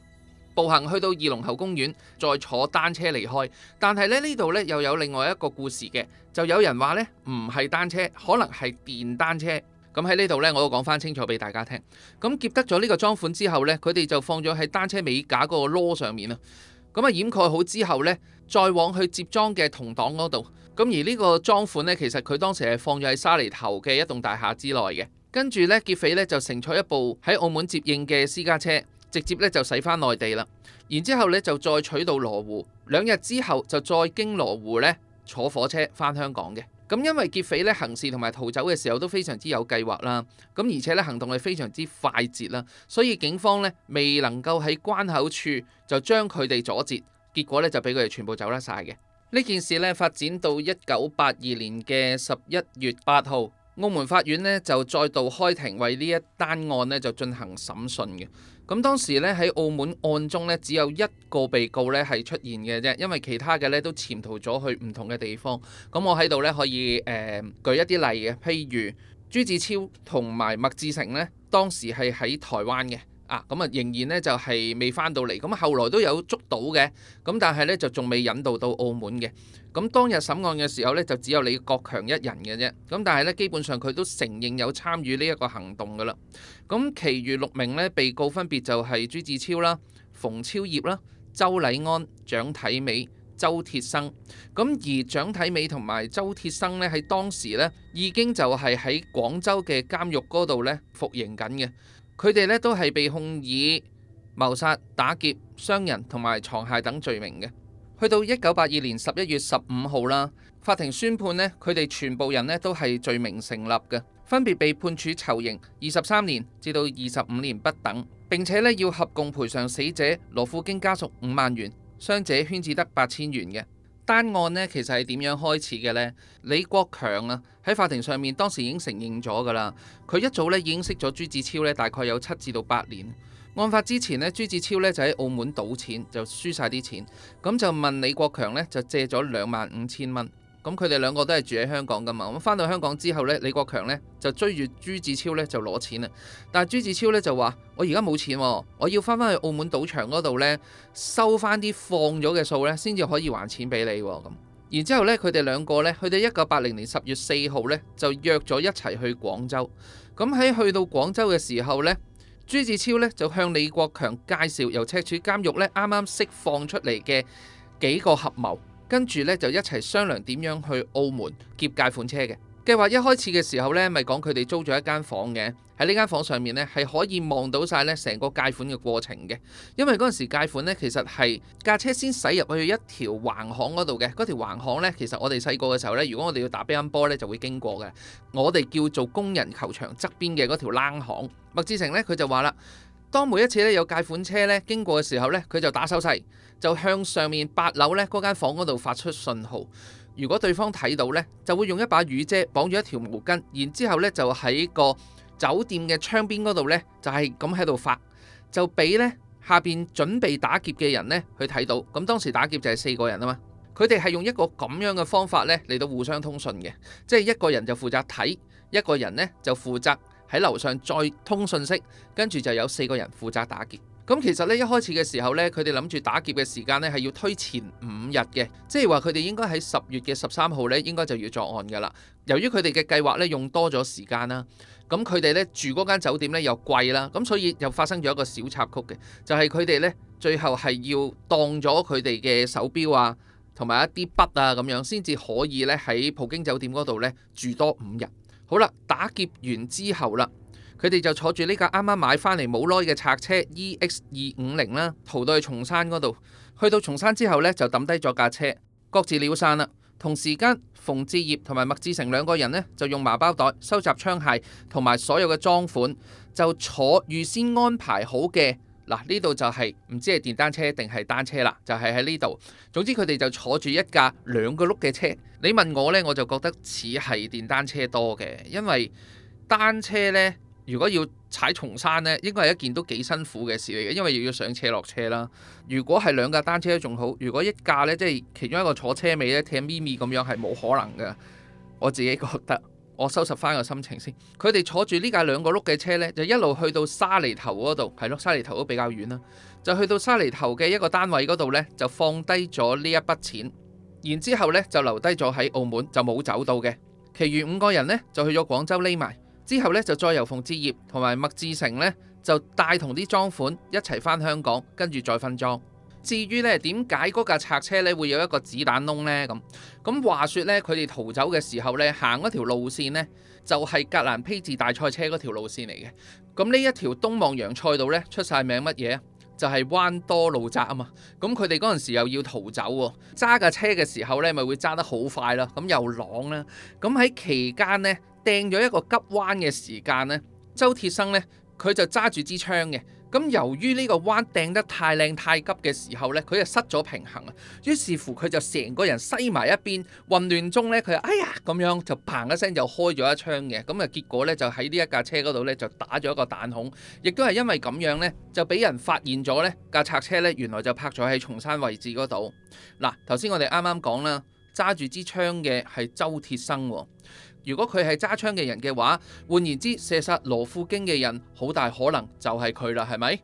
步行去到二龍喉公園，再坐單車離開。但係呢度呢又有另外一個故事嘅，就有人話呢唔係單車，可能係電單車。咁喺呢度呢，我都講翻清楚俾大家聽。咁劫得咗呢個贓款之後呢，佢哋就放咗喺單車尾架嗰個籮上面啊。咁掩蓋好之後呢，再往去接贓嘅同黨嗰度。咁而呢個贓款呢，其實佢當時係放咗喺沙梨頭嘅一棟大廈之內嘅。跟住呢，劫匪呢就乘坐一部喺澳門接應嘅私家車，直接呢就駛返內地啦。然之後呢，就再取到羅湖，2日之後就再經羅湖呢坐火車返香港嘅。咁因為劫匪呢行事同埋逃走嘅時候都非常之有計劃啦，咁而且呢行動係非常之快捷啦，所以警方呢未能夠喺關口處就將佢哋阻截，結果呢就俾佢哋全部走甩晒嘅。呢件事呢發展到1982年嘅11月8號，澳門法院呢就再度開庭為呢一單案呢就進行審訊嘅。咁當時咧喺澳門案中咧只有一個被告咧係出現嘅啫，因為其他嘅咧都潛逃咗去唔同嘅地方。咁我喺度咧可以舉一啲例嘅，譬如朱子超同埋麥志成咧，當時係喺台灣嘅。咁仍然咧就係未翻到嚟，咁後來都有捉到嘅，咁但係咧就仲未引渡到澳門嘅。咁當日審案嘅時候咧，就只有李國強一人嘅啫。咁但係咧，基本上佢都承認有參與呢一個行動噶啦。咁其餘6名咧被告分別就係朱子超啦、馮超業啦、周禮安、蔣體美、周鐵生。咁而蔣體美同埋周鐵生咧喺當時咧已經就係喺廣州嘅監獄嗰度咧服刑緊嘅。佢哋咧都係被控以謀殺、打劫、傷人同埋藏械等罪名嘅。去到1982年11月15號啦，法庭宣判呢，佢哋全部人呢都係罪名成立嘅，分別被判處囚刑23年至到25年不等，並且呢要合共賠償死者羅富京家屬5萬元，傷者圈只得8000元嘅。單案呢其實係點樣開始嘅呢？李國強啊喺法庭上面當時已經承認咗噶啦，佢一早咧已經識咗朱子超咧，大概有7至到8年。案發之前呢，朱子超咧就喺澳門賭錢，就輸晒啲錢，咁就問李國強咧就借咗25000蚊。咁佢哋兩個都係住喺香港噶嘛，咁翻到香港之後咧，李國強咧就追住朱子超咧就攞錢啦。但係朱子超咧就話：我而家冇錢，我要翻去澳門賭場嗰度咧收翻啲放咗嘅數咧，先至可以還錢俾你咁。然之後咧，佢哋兩個咧去到1980年10月4號咧就約咗一齊去廣州。咁喺去到廣州嘅時候咧，朱子超咧就向李國強介紹由赤柱監獄咧啱啱釋放出嚟嘅幾個合謀。跟住咧就一齊商量點樣去澳門劫解款車嘅計劃。一開始嘅時候咧，咪講佢哋租咗一間房嘅，喺呢間房上面咧係可以望到晒咧成個解款嘅過程嘅。因為嗰陣時解款咧其實係架車先駛入去一條橫巷嗰度嘅，嗰條橫巷咧其實我哋細個嘅時候咧，如果我哋要打乒乓波咧就會經過嘅，我哋叫做工人球場側邊嘅嗰條冷巷。麥志成咧佢就話啦，當每一次咧有解款車咧經過嘅時候咧，佢就打手勢，就向上面8樓咧嗰間房嗰度發出信號。如果對方睇到咧，就會用一把雨遮綁住一條毛巾，然之後咧就喺個酒店嘅窗邊嗰度咧就係咁喺度發，就俾咧下邊準備打劫嘅人咧去睇到。咁當時打劫就係4個人啊嘛，佢哋係用一個咁樣嘅方法咧嚟到互相通訊嘅，即係一個人就負責睇，一個人咧就負責喺樓上再通訊息，跟住就有4個人負責打劫。咁其實咧一開始嘅時候咧，佢哋諗住打劫嘅時間咧係要推前5日嘅，即係話佢哋應該喺10月嘅13號咧應該就要作案噶啦。由於佢哋嘅計劃咧用多咗時間啦，咁佢哋咧住嗰間酒店咧又貴啦，咁所以又發生咗一個小插曲嘅，就係佢哋咧最後係要當咗佢哋嘅手錶啊，同埋一啲筆啊咁樣，先至可以咧喺葡京酒店嗰度咧住多5日。好啦，打劫完之後啦，佢哋就坐住呢架啱啱買翻嚟冇耐嘅賊車 EX250啦，逃到去松山嗰度。去到松山之後呢，就抌低咗架車，各自了散啦。同時間，馮志業同埋麥志成兩個人呢，就用麻包袋收集槍械同埋所有嘅贓款，就坐預先安排好嘅嗱，呢度就係唔知係電單車定係單車啦，就係喺呢度。總之佢哋就坐住一架2個轆嘅車。你問我呢，我就覺得似係電單車多嘅，因為單車呢，如果要踩松山呢，應該係一件都幾辛苦嘅事嚟嘅，因為又要上斜落車啦。如果係2架單車都仲好，如果一架呢，即係其中一個坐車尾呢，踢咪咪咁樣係冇可能嘅。我自己覺得，我收拾翻個心情先。佢哋坐住呢架2個轆嘅車呢，就一路去到沙梨頭嗰度，係咯，沙梨頭都比較遠啦。就去到沙梨頭嘅一個單位嗰度呢，就放低咗呢一筆錢，然之後呢就留低咗喺澳門，就冇走到嘅。其餘5個人呢，就去咗廣州匿埋。之後咧就再由馮志業同埋麥志成咧就帶同啲贓款一齊翻香港，跟住再分贓。至於咧點解嗰架賊車咧會有一個子彈窿呢？咁話說咧，佢哋逃走嘅時候咧行嗰條路線呢，就係格蘭披治大賽車嗰條路線嚟嘅。咁呢一條東望洋賽道咧出晒名乜嘢？就係彎多路窄啊嘛。咁佢哋嗰陣時又要逃走喎，揸架車嘅時候咧咪會揸得好快啦，咁又啷啦。咁喺期間呢，掟咗一個急彎嘅時間呢，周鐵生呢，佢就揸住支槍嘅，咁由於呢個彎掟得太靚太急嘅時候呢，佢就失咗平衡啊。於是乎佢就成個人西埋一邊，混亂中呢，佢就哎呀咁樣就砰一聲就開咗一槍嘅。咁啊結果呢，就喺呢一架車嗰度呢，就打咗一個彈孔，亦都係因為咁樣呢，就俾人發現咗呢架賊車呢，原來就泊咗喺松山位置嗰度。嗱，頭先我哋啱啱講啦，揸住支槍嘅係周鐵生喎。如果佢係揸槍嘅人嘅話，換言之，射殺羅富京嘅人好大可能就係佢啦，係咪？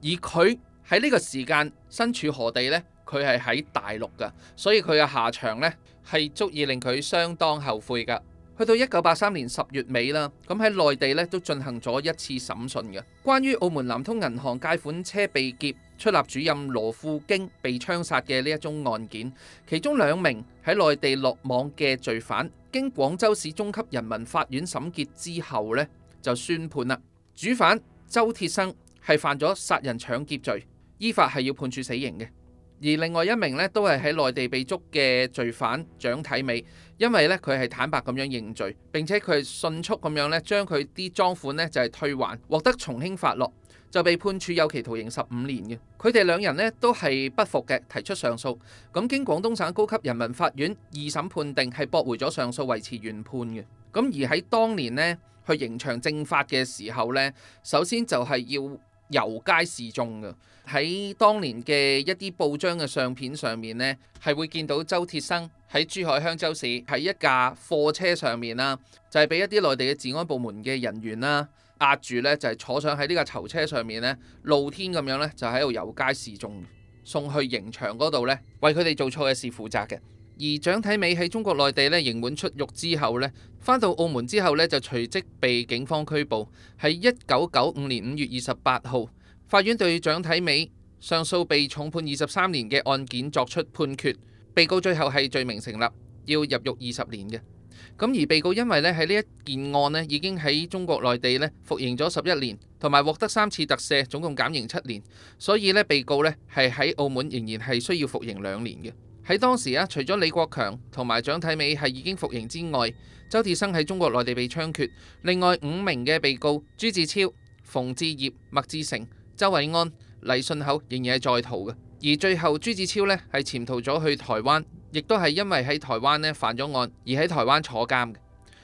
而佢喺呢個時間身處何地呢？佢係喺大陸㗎，所以佢嘅下場呢係足以令佢相當後悔㗎。去到1983年10月尾啦，咁喺內地呢都進行咗一次審訊嘅，關於澳門南通銀行借款車被劫、出納主任羅富京被槍殺嘅呢一宗案件，其中2名喺內地落網嘅罪犯，經廣州市中級人民法院審結之後呢，就宣判啦。主犯周鐵生係犯咗殺人搶劫罪，依法係要判處死刑嘅。而另外1名呢，都係喺內地被捉嘅罪犯蔣體美，因為呢，佢係坦白咁樣認罪，並且佢係迅速咁樣呢將佢啲贓款呢就係退還，獲得從輕發落，就被判處有期徒刑15年嘅。佢哋2人呢都係不服嘅，提出上訴。咁經廣東省高級人民法院2審判定係駁回咗上訴，維持原判嘅。咁而喺當年呢，去刑場正法嘅時候呢，首先就係要遊街示眾嘅。喺當年嘅一啲報章嘅相片上面呢，係會見到周鐵生喺珠海香洲市喺一架貨車上面啦，就係俾一啲內地嘅治安部門嘅人員啦壓住呢，就係坐上喺呢架囚車上面呢，露天咁樣呢，就喺度遊街示眾，送去刑場嗰度呢，為佢哋做錯嘅事負責嘅。而蔣體美喺中國內地呢刑滿出獄之後呢，返到澳門之後呢，就隨即被警方拘捕。喺1995年5月28號，法院對蔣體美上訴被重判23年嘅案件作出判決，被告最後係罪名成立，要入獄20年嘅。咁而被告因為咧喺呢一件案呢已經喺中國內地咧服刑咗11年，同埋獲得3次特赦，總共減刑7年，所以咧被告咧係喺澳門仍然係需要服刑2年嘅。喺當時啊，除咗李國強同埋蔣體美係已經服刑之外，周鐵生喺中國內地被槍決，另外5名嘅被告朱志超、馮志業、麥志成、周偉安、黎信口仍然係在逃嘅。而最後朱志超呢係潛逃咗去台灣，亦都係因為喺台灣呢犯咗案而喺台灣坐監嘅。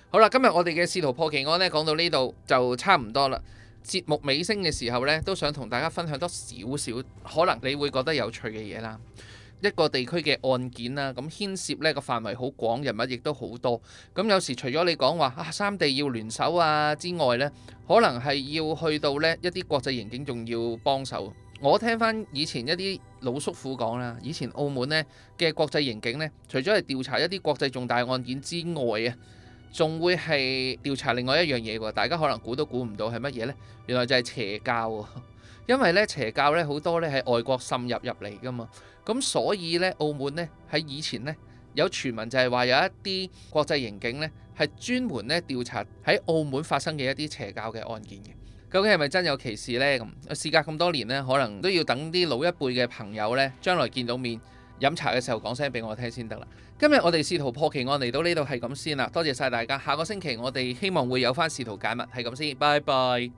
好啦，今日我哋嘅試圖破奇案呢講到呢度就差唔多啦。節目尾聲嘅時候呢，都想同大家分享多少少可能你會覺得有趣嘅嘢啦。一個地區嘅案件啦，咁牽涉呢個範圍好廣，人物亦都好多。咁有時除咗你講話三地要聯手啊之外呢，可能係要去到呢一啲國際刑警仲要幫手。我聽翻以前一啲老叔父講啦，以前澳門呢嘅國際刑警呢，除咗係調查一啲國際重大案件之外啊，仲會係調查另外一樣嘢喎。大家可能估都估唔到係乜嘢呢？原來就係邪教喎。因為咧邪教咧好多咧喺外國滲入嚟噶嘛，咁所以咧澳門咧喺以前咧有傳聞就係話有一啲國際刑警咧係專門咧調查喺澳門發生嘅一啲邪教嘅案件嘅。究竟係咪真有其事呢？咁事隔咁多年呢，可能都要等啲老一輩嘅朋友咧將來見到面飲茶嘅時候講聲俾我聽先得啦。今日我哋試圖破奇案嚟到呢度係咁先啦，多謝晒大家。下個星期我哋希望會有翻試圖解密，係咁先，拜拜。